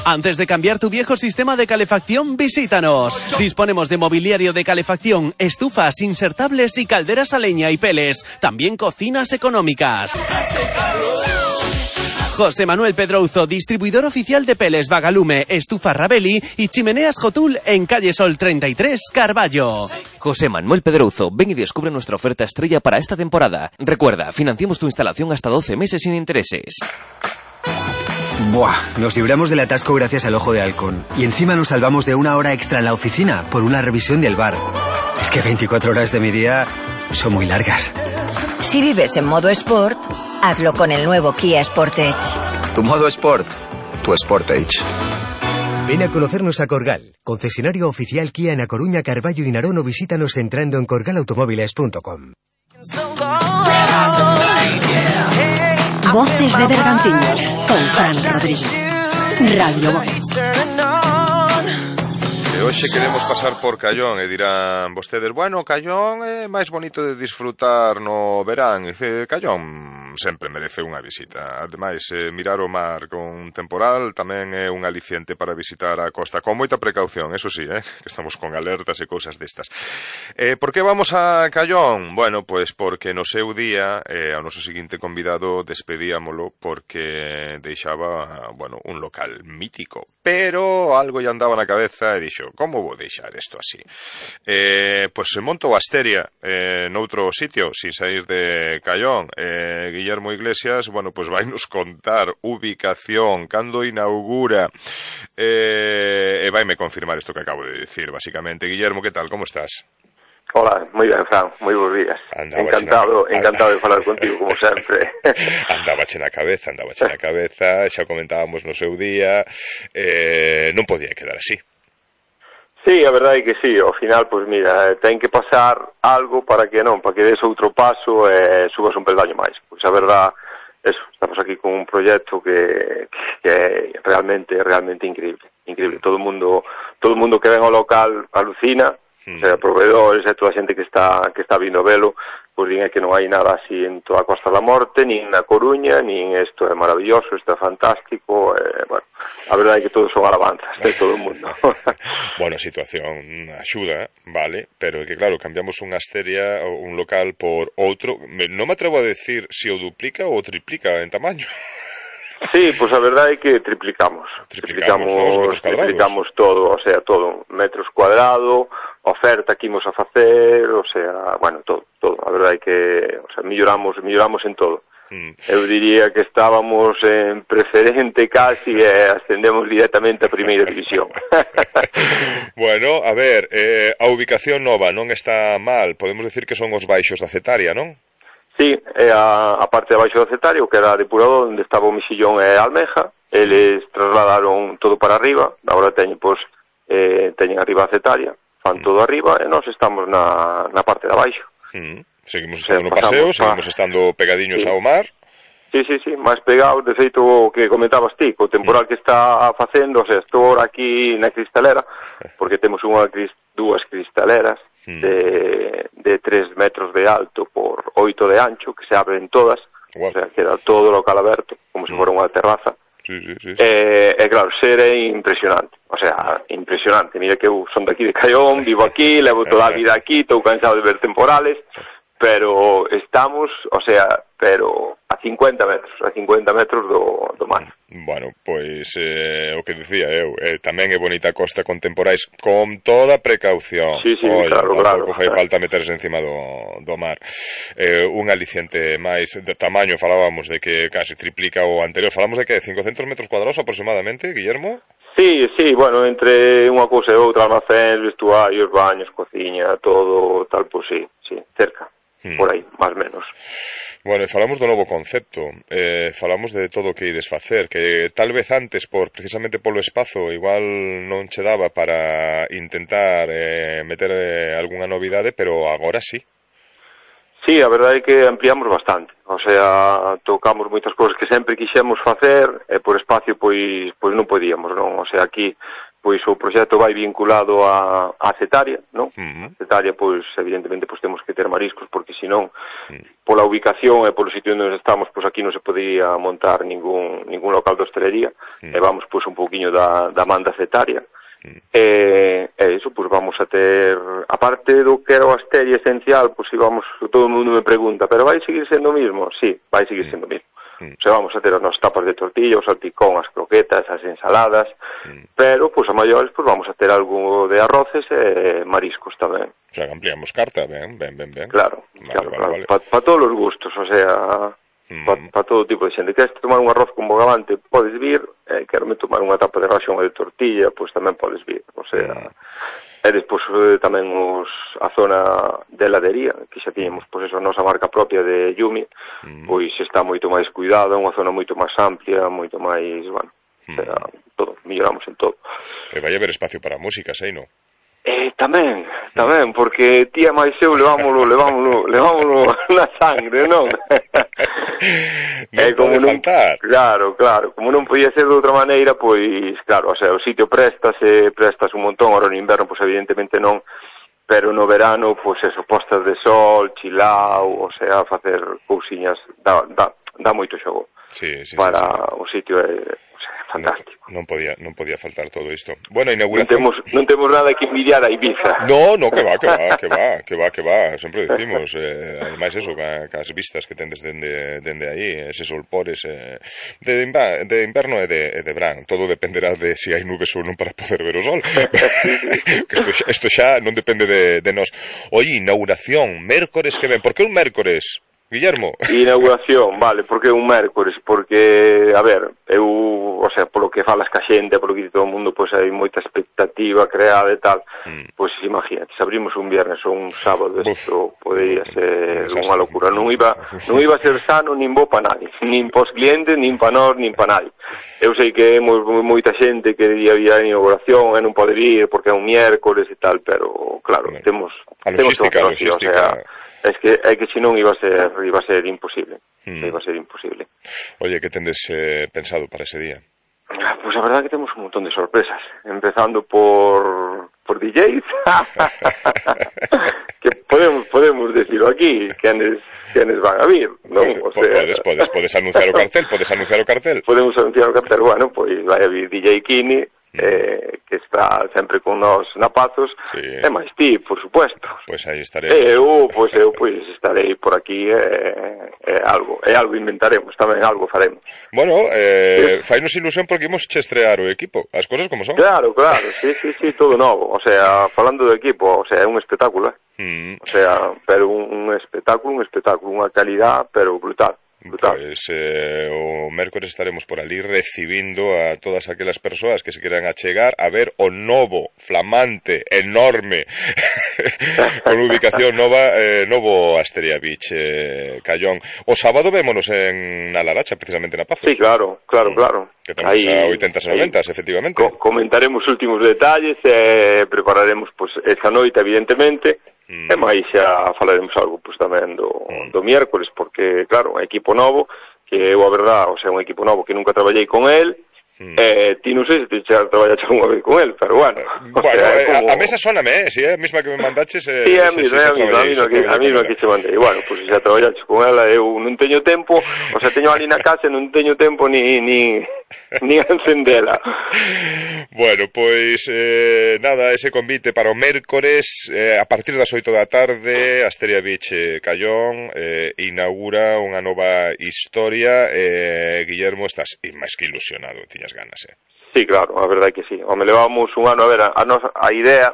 Antes de cambiar tu viejo sistema de calefacción, visítanos. Disponemos de mobiliario de calefacción, estufas insertables y calderas a leña y peles. También cocinas económicas. José Manuel Pedrouzo, distribuidor oficial de peles Vagalume, estufa Rabeli y chimeneas Jotul en calle Sol 33, Carballo. José Manuel Pedrouzo, ven y descubre nuestra oferta estrella para esta temporada. Recuerda, financiamos tu instalación hasta 12 meses sin intereses. Buah, nos libramos del atasco gracias al Ojo de Halcón. Y encima nos salvamos de una hora extra en la oficina por una revisión del bar. Es que 24 horas de mi día son muy largas. Si vives en modo Sport, hazlo con el nuevo Kia Sportage. Tu modo Sport, tu Sportage. Ven a conocernos a Corgal, concesionario oficial Kia en A Coruña, Carballo y Narón, o visítanos entrando en corgalautomóviles.com. Voces de Bergantiños con Fran Rodríguez. Radio Voz. Hoxe queremos pasar por Callón e dirán vostedes, bueno, Callón é máis bonito de disfrutar no verán. Dice, Callón sempre merece unha visita. Ademais, mirar o mar con temporal tamén é un aliciente para visitar a costa, con moita precaución, eso sí, que estamos con alertas e cousas destas. Por que vamos a Callón? Bueno, pois porque no seu día ao noso seguinte convidado despedíamolo porque deixaba, bueno, un local mítico, pero algo lle andaba na cabeza e dixo, como vou deixar isto así? Pois se monto a Asteria noutro sitio, sin sair de Callón. Guillermo Iglesias, bueno, pois vai nos contar ubicación, cando inaugura, e vaime confirmar isto que acabo de decir, basicamente. Guillermo, que tal, como estás? Hola, moi ben, Fran, moi bons días. Encantado de falar contigo, como sempre. Andabache na cabeza, xa comentábamos no seu día, non podía quedar así. Sí, a verdade é que sí, ao final, pois mira, ten que pasar algo para que des outro paso e subas un peldaño máis. Pois a verdade, eso, estamos aquí con un proxecto que é realmente increíble. Todo o mundo que ven ao local alucina. O sea, proveedores e toda a xente que está vindo a velo, pois din que non hai nada así en toda a Costa da Morte, nin na Coruña, nin isto é maravilloso, isto é fantástico, bueno, a verdade é que todos son alabanzas de todo o mundo. Bueno, a situación axuda, vale, pero é que claro, cambiamos unha Asteria, un local por outro, non me atrevo a decir se o duplica ou o triplica en tamaño. Sí, pois a verdade é que triplicamos todo, o sea, todo, metros cuadrados, oferta que imos a facer, o sea, bueno, todo, a verdade é que, o sea, melloramos en todo. Eu diría que estábamos en preferente casi e ascendemos directamente a primeira división. Bueno, a ver, a ubicación nova non está mal, podemos decir que son os baixos da Cetaria, non? Sí, a parte de baixo do Cetario, que era depurador, onde estaba o Mexillón e a Almeja, eles trasladaron todo para arriba, agora teñen arriba a Cetaria, fan todo arriba, e nós estamos na parte de abaixo. Seguimos estando no paseo, seguimos estando pegadiños ao mar. Sí, máis pegados, de feito o que comentabas ti, co temporal que está facendo, o sea, estou aquí na cristalera, porque temos dúas cristaleras, de 3 metros de alto por 8 de ancho, que se abren todas, o sea, queda todo o local aberto, como se fora unha terraza. Sí. Claro, ser é impresionante, o sea, impresionante. Mira que eu son daqui de Callón, vivo aquí, levo toda a vida aquí, estou cansado de ver temporales, pero estamos, o sea, a 50 metros do mar. Bueno, pois o que dicía eu, tamén é bonita a costa con temporais, con toda precaución. Sí, claro. Tampouco fai falta meterse encima do mar. Un aliciente máis de tamaño, falábamos de que casi triplica o anterior, falamos de que 500 metros cuadrados aproximadamente, Guillermo? Sí, bueno, entre unha cousa e outra, almacén, vestuarios, baños, cociña, todo tal, pois sí, cerca. Por aí, máis menos. Bueno, falamos do novo concepto, falamos de todo o que ides facer, que tal vez antes, precisamente polo espazo, igual non che daba para intentar meter algunha novidade, pero agora sí. Sí, a verdade é que ampliamos bastante, o sea, tocamos moitas cousas que sempre quixemos facer, e por espacio pois non podíamos, non? O sea, aquí pois o proxecto vai vinculado a Cetaria, non? Cetaria, pois, evidentemente, pois temos que ter mariscos, porque senón, pola ubicación e polo sitio onde estamos, pois aquí non se podía montar ningún local de hostelería, e vamos, pois, un pouquiño da man da Cetaria. E iso, pois, vamos a ter, aparte do que era o Asteria esencial, pois, íbamos, todo o mundo me pregunta, pero vai seguir sendo o mismo? Sí, vai seguir sendo o mismo. O sea, vamos a ter as nosas tapas de tortilla, o salpicón, as croquetas, as ensaladas, pero, pois, a maiores, pois, vamos a ter algo de arroces e mariscos tamén. O sea, que ampliamos carta, ben. Claro. Vale. Para todos os gustos, o sea, para todo tipo de xente. Queres tomar un arroz con bogavante, podes vir, quero tomar unha tapa de ración de tortilla, pois tamén podes vir, o sea... E despois tamén a zona de heladería, que xa tiñemos, pois eso, a nosa marca propia de Yumi, pois está moito máis cuidada, unha zona moito máis amplia, moito máis, bueno, todo, melloramos en todo. E vai haber espacio para música, sei, non? Tamén, porque tía máis eu levámoslo na sangre, non? Non pode faltar. Claro, como non podía ser de outra maneira, pois, claro, o sea, o sitio prestas un montón, ahora no inverno, pois evidentemente non, pero no verano, pois eso, postas de sol, chilao, o sea, facer cousiñas, dá moito xogo. Sí. Para o sitio é fantástico. Non podía faltar todo isto. Bueno, inauguración... Non temos nada que envidiar a Ibiza. No, que va, sempre dicimos. Ademais, eso, cas vistas que tendes dende aí, ese solpores de inverno e de verán. Todo dependerá de se hai nubes ou non para poder ver o sol. Isto xa non depende de nós. Oye, inauguración, mércores que ven. Por que un mércores? Guillermo. Inauguración, vale, porque un mércores, porque, a ver, o sea, polo que falas ca xente, polo que dice todo o mundo, pois hai moita expectativa creada e tal, pois imagínate, se abrimos un viernes ou un sábado, isto podería ser unha locura, non iba a ser sano nin bo pa nadie, nin pos clientes, nin pa nós, nin pa nadie. Eu sei que moita xente que diría a inauguración e non poder ir porque é un miércoles e tal, pero claro, temos a logística. O sea, é que se non iba a ser imposible. Iba a ser imposible. Oye, que tendes pensado para ese día? Pues a verdad que temos un montón de sorpresas, empezando por DJs, que podemos decirlo aquí, quienes van a vir, non? O sea, podes anunciar o cartel, Podemos anunciar o cartel, bueno, pois vai a vir DJ Kini, que está sempre con nos napazos, e máis ti, por supuesto. Pois aí estarei. Eu estarei por aquí, algo inventaremos, tamén algo faremos. Bueno, fainos ilusión porque imos estrear o equipo, as cosas como son. Claro, sí, todo novo, o sea, falando do equipo, o sea, é un espectáculo, o sea, pero un espectáculo, unha calidad, pero brutal. Pois o mércores estaremos por ali recibindo a todas aquelas persoas que se queran achegar a ver o novo, flamante, enorme con ubicación novo Asteria Beach, Callón. O sábado vémonos na Laracha, precisamente na Pazos. Sí, claro. Que temos a 80s e 90s, efectivamente. Comentaremos os últimos detalles, prepararemos pues, esa noite, evidentemente, e máis xa falaremos algo pues, tamén do miércoles, porque, claro, é equipo novo, que eu, a verdad, o sea, un equipo novo que nunca traballei con el, ti non sei se te xa traballaste unha vez con el, pero bueno. A mesa soname, si é a mesma que me mandaches. Sí, a mesma que te mandei. Bueno, pues xa traballaste con ela, eu non teño tempo, o sea, teño ali na casa e non teño tempo ni a encendela. Bueno, pois nada, ese convite para o mércores a partir das 8 da tarde, Asteria Beach Callón inaugura unha nova historia. Guillermo, estás máis que ilusionado, tiñas ganas, Sí, claro, a verdade é que sí. Me levamos un ano, a ver, a idea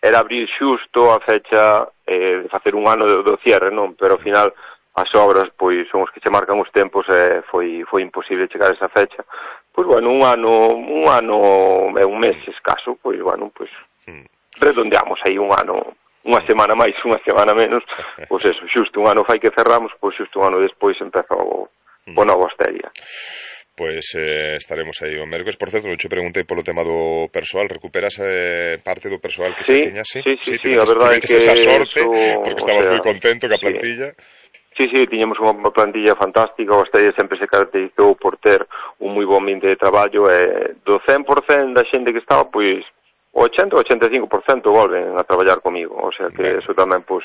era abrir xusto a fecha de facer un ano do cierre, non? Pero ao final as obras, pois, son os que che marcan os tempos e foi imposible chegar a esa fecha. Pois, bueno, un ano e un mes escaso, pois, bueno, pois, redondeamos aí un ano, unha semana máis, unha semana menos, pois eso, xusto un ano fai que cerramos, pois xusto un ano despois empeza o novo Asteria. Pois estaremos aí o mércores. Por certo, non che preguntei polo tema do persoal. Recuperas parte do persoal que se tiña? Sí, a verdade é que esa sorte, porque estabas moi contento ca plantilla. Sí, tiñamos unha plantilla fantástica. O Asteria sempre se caracterizou por ter un moi bon ambiente de traballo e do 100% da xente que estaba, pois, o 80-85% volven a traballar comigo. O sea que eso tamén, pois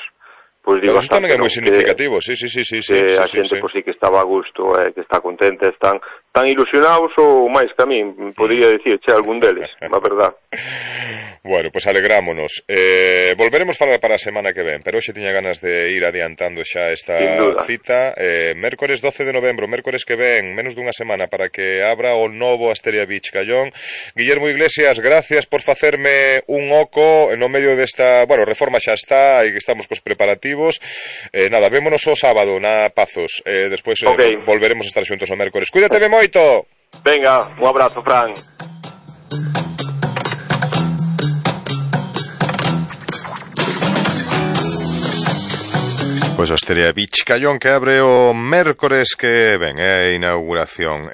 digo, eso tamén é moi significativo, sí. A xente, pois, sí que estaba a gusto, que está contenta, están tan ilusionados ou máis que a min, podría dicir, algún deles, a verdad. Bueno, pois alegrámonos. Volveremos falar para a semana que ven, pero hoxe tiña ganas de ir adiantando xa esta cita. Mércores 12 de novembro, mércores que ven, menos dunha semana para que abra o novo Asteria Beach Callón. Guillermo Iglesias, gracias por facerme un oco no medio desta, bueno, reforma xa está e que estamos cos preparativos. Nada, vémonos o sábado na Pazos. Despois volveremos a estar xuntos o mércores. Cuídate moito. Venga, un abrazo, Fran. Pois o Asteria Beach Callón que abre o mércores que ven, a inauguración.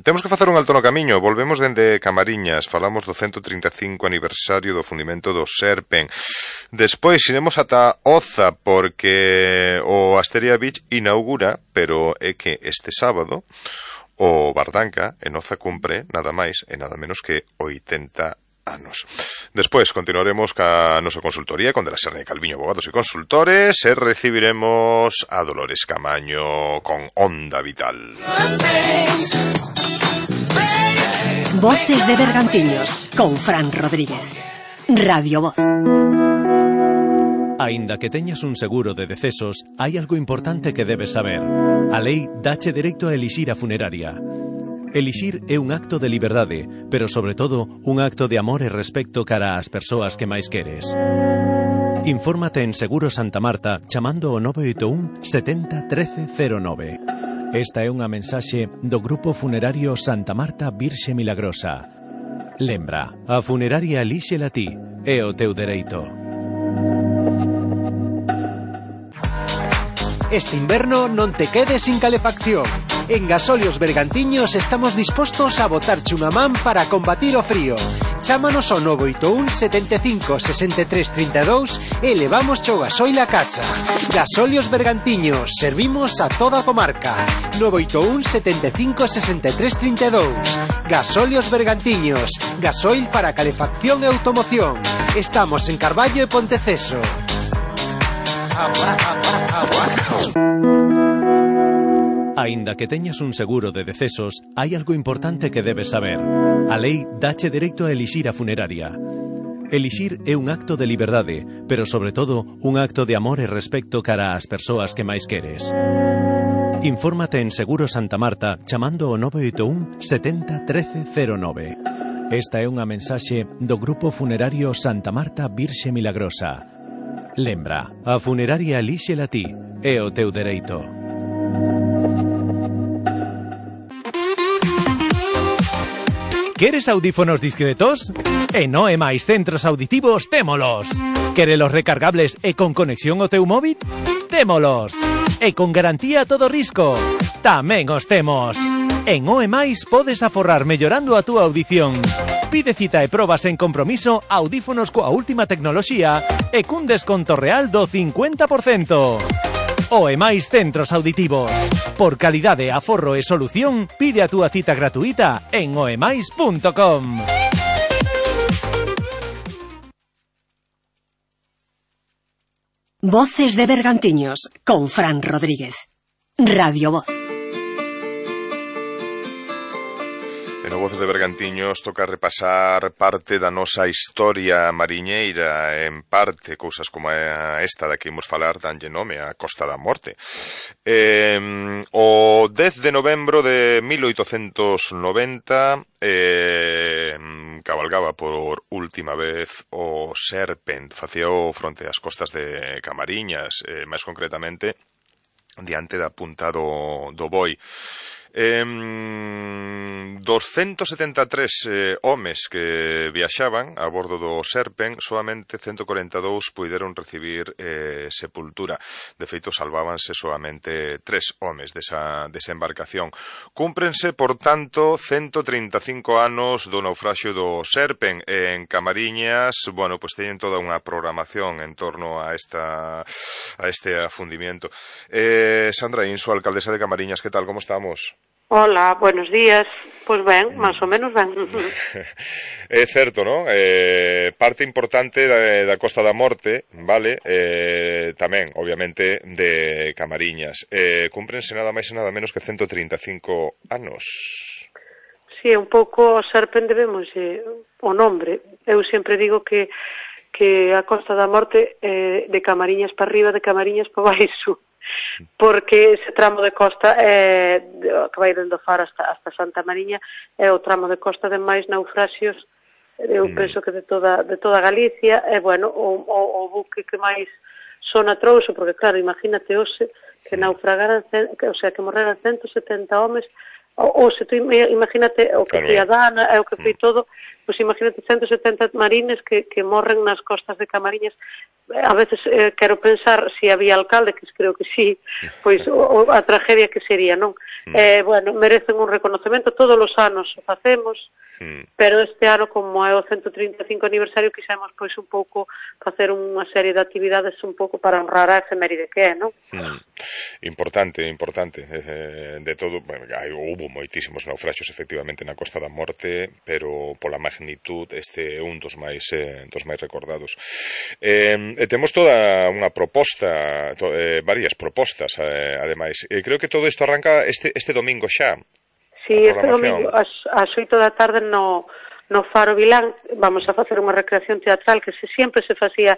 Temos que facer un alto no camiño. Volvemos dende Camariñas. Falamos do 135 aniversario do fundimento do Serpen. Despois iremos ata Oza, porque o Asteria Beach inaugura, pero é que este sábado o Bardanca en Oza cumpre nada máis e nada menos que 80 anos. Despois continuaremos ca nosa consultoría con De la Serna e Calviño, abogados e consultores, e recibiremos a Dolores Camaño con Onda Vital. Voces de Bergantiños, con Fran Rodríguez. Radio Voz. Aínda que teñas un seguro de decesos, hai algo importante que debes saber. A lei dache dereito a elixir a funeraria. Elixir é un acto de liberdade, pero sobre todo un acto de amor e respecto cara ás persoas que máis queres. Infórmate en Seguro Santa Marta chamando ao 981 70 13 09. Esta é unha mensaxe do Grupo Funerario Santa Marta Virxe Milagrosa. Lembra, a funeraria elíxela ti, é o teu dereito. Este inverno non te quedes sin calefacción. En Gasolios Bergantiños estamos dispostos a botarche unha man para combatir o frío. Chámanos ao 981 75 63 32 e levamos o gasoil a casa. Gasolios Bergantiños, servimos a toda a comarca. 981 75 63 32. Gasolios Bergantiños, gasoil para calefacción e automoción. Estamos en Carballo e Ponteceso. Aínda que teñas un seguro de decesos, hai algo importante que debes saber. A lei dache dereito a elixir a funeraria. Elixir é un acto de liberdade, pero sobre todo un acto de amor e respecto cara ás persoas que máis queres. Infórmate en Seguro Santa Marta chamando ao 981 70 13 09. Esta é unha mensaxe do Grupo Funerario Santa Marta Virxe Milagrosa. Lembra, a funeraria elíxela ti, é o teu dereito. Queres audífonos discretos? En Noe máis centros auditivos témolos. Querelos recargables e con conexión ao teu móvil? Témolos. E con garantía a todo risco? Tamén os temos. En Oe máis podes aforrar mellorando a túa audición. Pide cita e probas en compromiso audífonos coa última tecnoloxía e cun desconto real do 50%. Oe máis centros auditivos. Por calidade, aforro e solución, pide a túa cita gratuita en oemais.com. Voces de Bergantiños, con Fran Rodríguez. Radio Voz. E no Voces de Bergantiños toca repasar parte da nosa historia mariñeira, en parte cousas como esta da que imos falar danlle nome a Costa da Morte. O 10 de novembro de 1890 cabalgaba por última vez o Serpent, facíao fronte ás costas de Camariñas, máis concretamente diante da punta do Boi. 273 homes que viaxaban a bordo do Serpent, solamente 142 puideron recibir sepultura. De feito, salvábanse solamente 3 homes desa embarcación. Cúmprense, por tanto, 135 anos do naufraxio do Serpent en Camariñas. Bueno, pues teñen toda unha programación en torno a este afundimiento. Sandra Inso, alcaldesa de Camariñas, que tal, como estamos? Hola, buenos días. Pois ben, máis ou menos ben. É certo, non? Parte importante da Costa da Morte, vale? Tamén, obviamente, de Camariñas. Cúmprense nada máis e nada menos que 135 anos. Sí, un pouco o Serpent debemos o nombre. Eu sempre digo que a Costa da Morte de Camariñas para arriba, de Camariñas para baixo, porque ese tramo de costa que vai dende o Faro hasta Santa Mariña é o tramo de costa de máis naufraxios, eu penso que de toda Galicia, e bueno, o buque que máis sona trouxo, porque claro, imagínate hoxe que naufragaran, o sea, que morreran 170 homes, ou se tú imagínate o que foi a Dana e o que foi todo, pois imagínate 170 marines que morren nas costas de Camariñas. A veces quero pensar se había alcalde, que creo que sí, pois a tragedia que sería, non? Bueno, merecen un reconocemento, todos os anos o facemos, pero este ano, como é o 135 aniversario, quixemos pois un pouco facer unha serie de actividades un pouco para honrar a efeméride que é, non? Importante. De todo, bueno, houve moitísimos naufraxios efectivamente na Costa da Morte, pero pola magnitud este é un dos máis recordados. Temos toda unha proposta, varias propostas, ademais. Creo que todo isto arranca este domingo xa. Si este domingo ás 8 da tarde no Faro Vilán vamos a facer unha recreación teatral que sempre se facía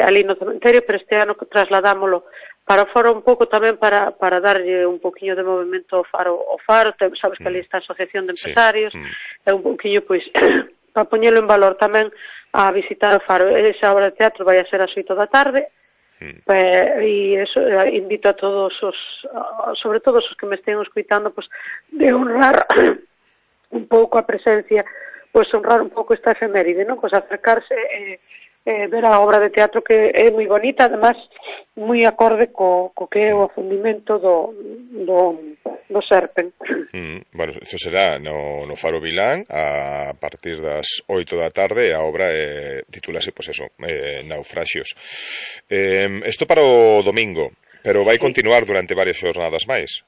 ali no cementerio, pero este ano trasladámoslo para o Faro un pouco tamén para darlle un poquinho de movimento ao Faro, sabes que ali está a Asociación de Empresarios, é un poquinho, pois, para poñelo en valor tamén a visitar o Faro. Esa obra de teatro vai a ser ás 8 da tarde, e eso, invito a todos sobre todo os que me estén escuitando, pois, de honrar un pouco a presencia, pois honrar un pouco esta efeméride, non? Pois acercarse ver a obra de teatro que é moi bonita, además moi acorde co que é o afundimento do Serpen. Bueno, isto será no Faro Vilán a partir das 8 da tarde. A obra titúlase, pois eso, Naufraxios. Isto para o domingo, pero vai continuar durante varias xornadas máis.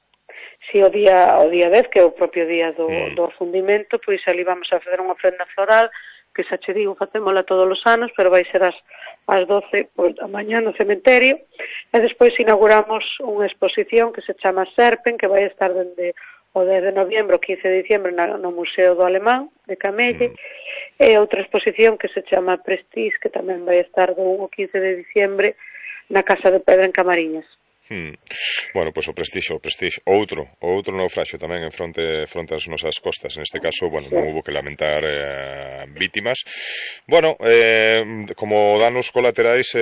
Si, o día 10, que é o propio día do afundimento, pois ali vamos a facer unha ofrenda floral, que xa che digo, facémola todos os anos, pero vai ser ás 12 da mañá no cementerio, e despois inauguramos unha exposición que se chama Serpen, que vai estar dende o 10 de noviembro, 15 de diciembre no Museo do Alemán de Camelle, e outra exposición que se chama Prestige, que tamén vai estar do 1 ao 15 de diciembre na Casa de Pedra en Camariñas. Bueno, pois o Prestige, outro naufraxio tamén en fronte ás nosas costas. En este caso, bueno, non hubo que lamentar vítimas. Bueno, como danos colaterais,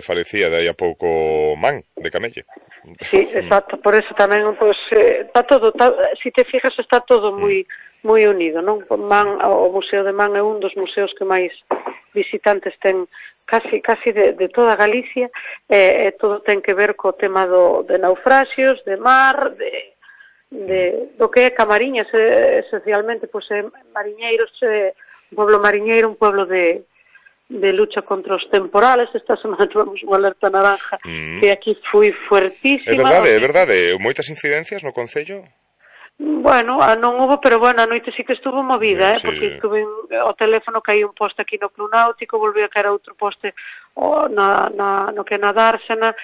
falecía de aí a pouco Man, de Camelle. Sí, exacto, por eso tamén, pois, está todo, si te fijas, está todo moi unido, non? Man, o Museo de Man é un dos museos que máis visitantes ten casi de toda Galicia, todo ten que ver co tema de naufraxios, de mar, do que é Camariñas, esencialmente, pois, mariñeiros, un pueblo mariñeiro, un pueblo de lucha contra os temporales. Esta semana tuvemos unha alerta naranja que aquí foi fuertísima. É verdade, moitas incidencias no concello? Bueno, non hubo, pero bueno, a noite sí que estuvo movida, porque estuve o teléfono, caí un poste aquí no Club Náutico, volví a caer outro poste no que na Dársena,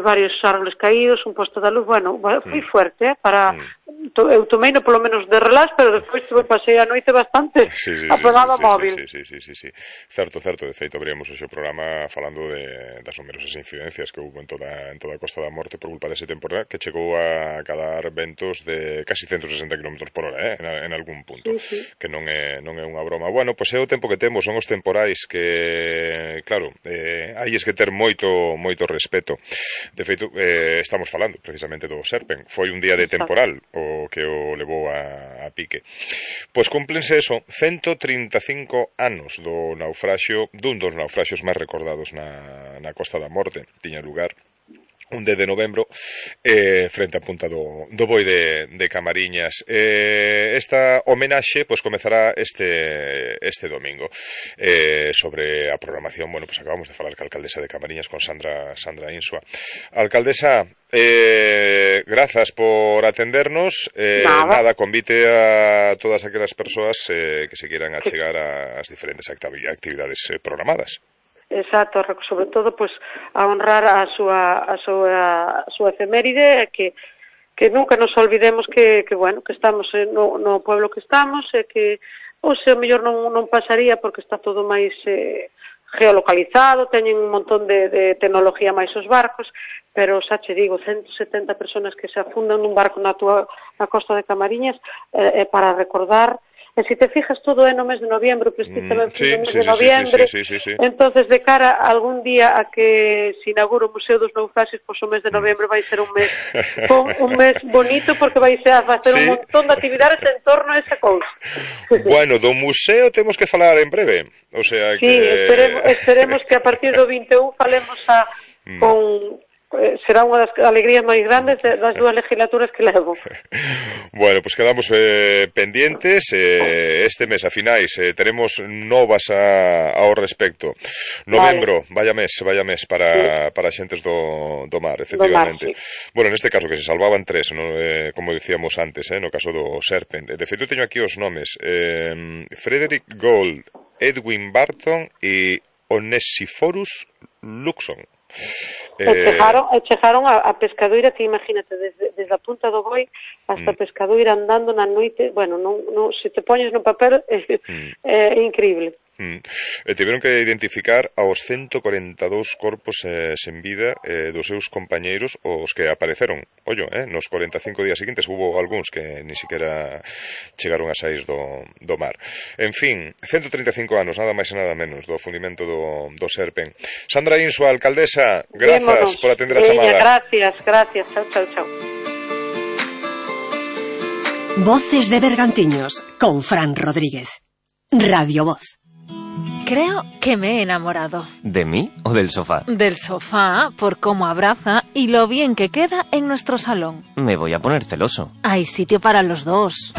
varios árboles caídos, un poste da luz. Bueno, foi fuerte, eu tomeino polo menos de relax, pero despois pasei a noite bastante apagada móvil. Sí. Certo, de feito abríamos o programa falando das numerosas incidencias que houve en toda a Costa da Morte por culpa dese temporal que chegou a cadar ventos de casi 160 km por hora, en algún punto, que non é unha broma. Bueno, pois é o tempo que temos, son os temporais que, claro, hai que ter moito respeto. De feito, estamos falando precisamente do Serpen. Foi un día de temporal o que o levou a pique. Pois cúmplense 135 anos do naufraxio, dun dos naufraxios máis recordados na Costa da Morte. Tiña lugar un 10 de novembro frente a punta do Boi de Camariñas. Esta homenaxe pois comezará este domingo. Sobre a programación, bueno, pois acabamos de falar ca alcaldesa de Camariñas, con Sandra Insua. Alcaldesa, grazas por atendernos. Nada, convite a todas aquelas persoas que se quieran achegar ás diferentes actividades programadas. Exacto, sobre todo, pois, a honrar a súa efeméride, que nunca nos olvidemos que bueno, que estamos no pueblo que estamos, e que o mellor non pasaría, porque está todo máis geolocalizado, teñen un montón de tecnología máis os barcos, pero xa che digo, 170 personas que se afundan nun barco na costa de Camariñas, para recordar. E se te fijas, todo é no mes de noviembre, precisamente no mes de noviembre. Entonces, de cara algún día a que se inaugure o Museo dos Naufraxios, pois o mes de noviembre vai ser un mes bonito, porque vai ser a facer un montón de actividades en torno a esa cousa. Bueno, do museo temos que falar en breve. O sea que... Sí, esperemos que a partir do 21 falemos con... será unha das alegrías máis grandes das dúas legislaturas que levo. Bueno, pois quedamos pendientes. Este mes, a finais, teremos novas ao respecto. Novembro, vaya mes para xentes do mar, efectivamente. Bueno, neste caso que se salvaban 3, como dicíamos antes, no caso do Serpen. De feito, teño aquí os nomes. Frederick Gould, Edwin Barton e Onesiphorus Luxon. E chegaron a pescadoira, que imagínate, desde a punta do boi hasta a pescadoira andando na noite, bueno, se te poñes no papel é increíble. E tiveron que identificar aos 142 corpos sen vida dos seus compañeiros, os que apareceron, nos 45 días seguintes. Hubo algúns que ni siquiera chegaron a sair do mar. En fin, 135 anos, nada máis e nada menos, do fundimento do Serpen. Sandra Insua, alcaldesa, grazas por atender a chamada. Gracias, chao. Voces de Bergantiños, con Fran Rodríguez. Radio Voz. Creo que me he enamorado. ¿De mí o del sofá? Del sofá, por cómo abraza y lo bien que queda en nuestro salón. Me voy a poner celoso. Hay sitio para los dos.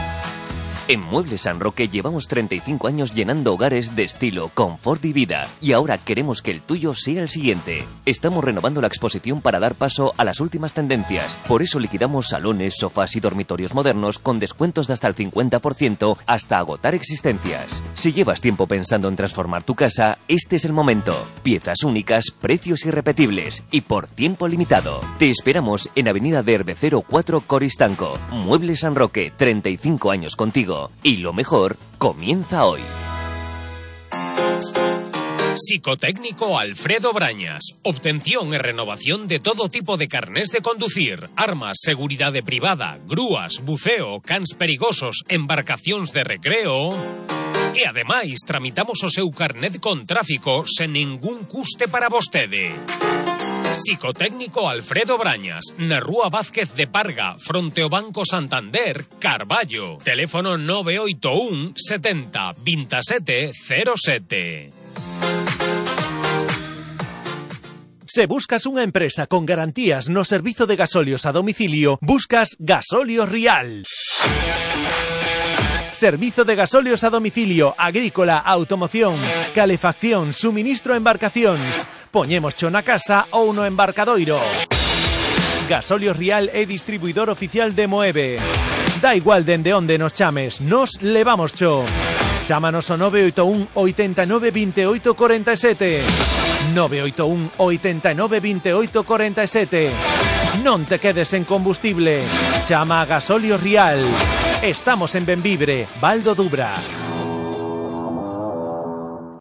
En Muebles San Roque llevamos 35 años llenando hogares de estilo, confort y vida. Y ahora queremos que el tuyo sea el siguiente. Estamos renovando la exposición para dar paso a las últimas tendencias. Por eso liquidamos salones, sofás y dormitorios modernos con descuentos de hasta el 50% hasta agotar existencias. Si llevas tiempo pensando en transformar tu casa, este es el momento. Piezas únicas, precios irrepetibles y por tiempo limitado. Te esperamos en Avenida de Herbecero 4 Coristanco. Muebles San Roque, 35 años contigo. Y lo mejor comienza hoy. Psicotécnico Alfredo Brañas. Obtención e renovación de todo tipo de carnés de conducir, armas, seguridade privada, grúas, buceo, cans perigosos, embarcacións de recreo. E ademais tramitamos o seu carnet con tráfico sen ningún custe para vostede. Psicotécnico Alfredo Brañas, na Rúa Vázquez de Parga, fronte ao Banco Santander, Carballo. Teléfono 981 70 27 07. Se buscas unha empresa con garantías no servizo de gasolios a domicilio, buscas Gasolios Rial. Servizo de gasolios a domicilio, agrícola, automoción, calefacción, suministro a embarcacións. Poñémoscho na casa ou no embarcadoiro. Gasolios Rial é distribuidor oficial de Moeve. Da igual dende onde nos chames, nos levamoscho. Chámanos ao 981 89 28 47. 981 89 28 47. Non te quedes en combustible. Chama a Gasolios Rial. Estamos en Benvibre, Val do Dubra.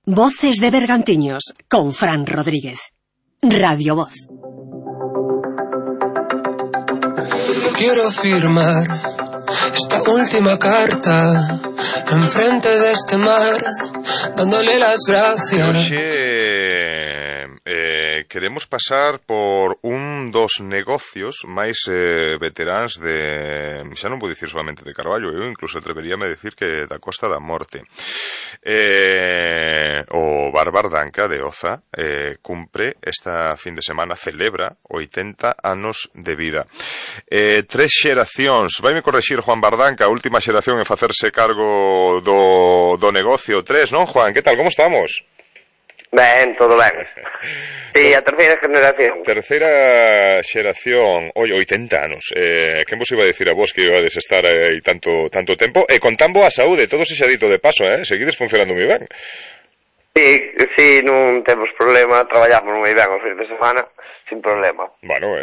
Voces de Bergantiños, con Fran Rodríguez. Radio Voz. Quiero firmar esta última carta enfrente de este mar, dándole las gracias. Queremos pasar por un dos negocios máis veteráns de, xa non vou dicir solamente de Carballo, eu incluso atreveríame a decir que da Costa da Morte. O Bar Bardanca de Oza cumpre esta fin de semana, celebra 80 anos de vida. 3 xeracións, vaime correxir Juan Bardanca, a última xeración en facerse cargo do negocio. 3, non, Juan? Que tal, como estamos? Ben, todo ben. Sí, a terceira generación. Terceira xeración, 80 anos. Quen vos iba a decir a vos que ibades estar aí tanto tempo? E con tan boa saúde, todo se xa dito de paso, seguides funcionando moi ben. Sí, non temos problema, traballamos moi ben os fins de semana, sin problema. Bueno,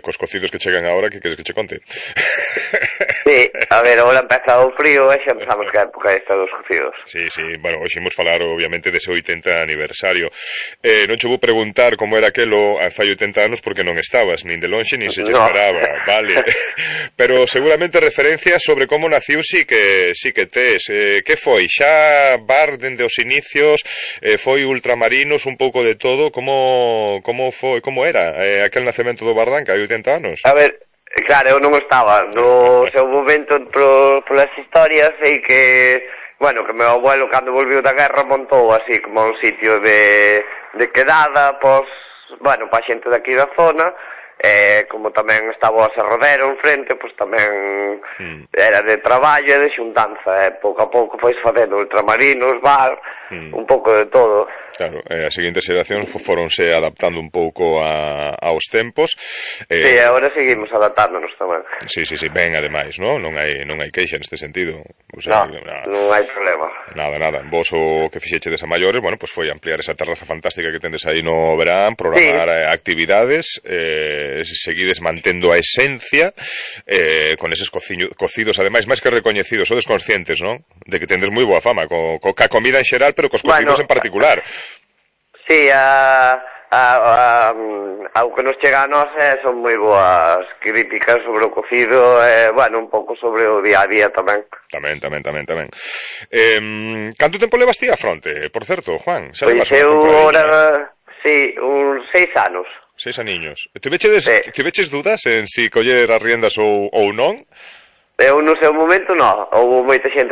cos cocidos que chegan agora, que queres que che conte? Sí, a ver, agora empeza o frío e xa empezamos que a época esta dos cocidos. Sí, bueno, hoxe imos falar obviamente dese 80 aniversario. Non che vou preguntar como era aquelo fai 80 anos porque non estabas, nin de lonxe, nin se che paraba, vale. Pero seguramente referencias sobre como naciu sí que tes. Que foi? Xa bar dende os inicios, foi ultramarinos, un pouco de todo, como foi, como era aquel nacemento do Bardanca hai 80 anos? A ver, claro, eu non estaba no seu momento polas historias, sei que, bueno, que meu abuelo cando volviu da guerra montou así como un sitio de quedada, pois, bueno, pa xente daqui da zona, como tamén estaba o Serrodero enfrente, pois tamén era de traballo e de xuntanza, pouco a pouco foi facendo ultramarinos, bar, un pouco de todo. Claro, as seguintes xeracións foronse adaptando un pouco aos tempos. Sí, agora seguimos adaptándonos tamén. Sí, ben, ademais, non hai queixa neste sentido. O sea, non hai problema. Nada. Vos o que fixechedes a maiores, bueno, pues foi ampliar esa terraza fantástica que tendes aí no verán, programar actividades, seguides mantendo a esencia, con eses cocidos, ademais, máis que recoñecidos, sodes conscientes, non? De que tendes moi boa fama, ca comida en xeral, pero cos cocidos en particular. Sí, ao que nos chega a nós son moi boas críticas sobre o cocido, un pouco sobre o día a día tamén. Tamén. Canto tempo levas ti a fronte, por certo, Juan? Pois eu ahora, sí, uns 6 anos. 6 aniños. Tiveches dudas en si coller as riendas ou non? Eu no seu momento non, houve moita xente que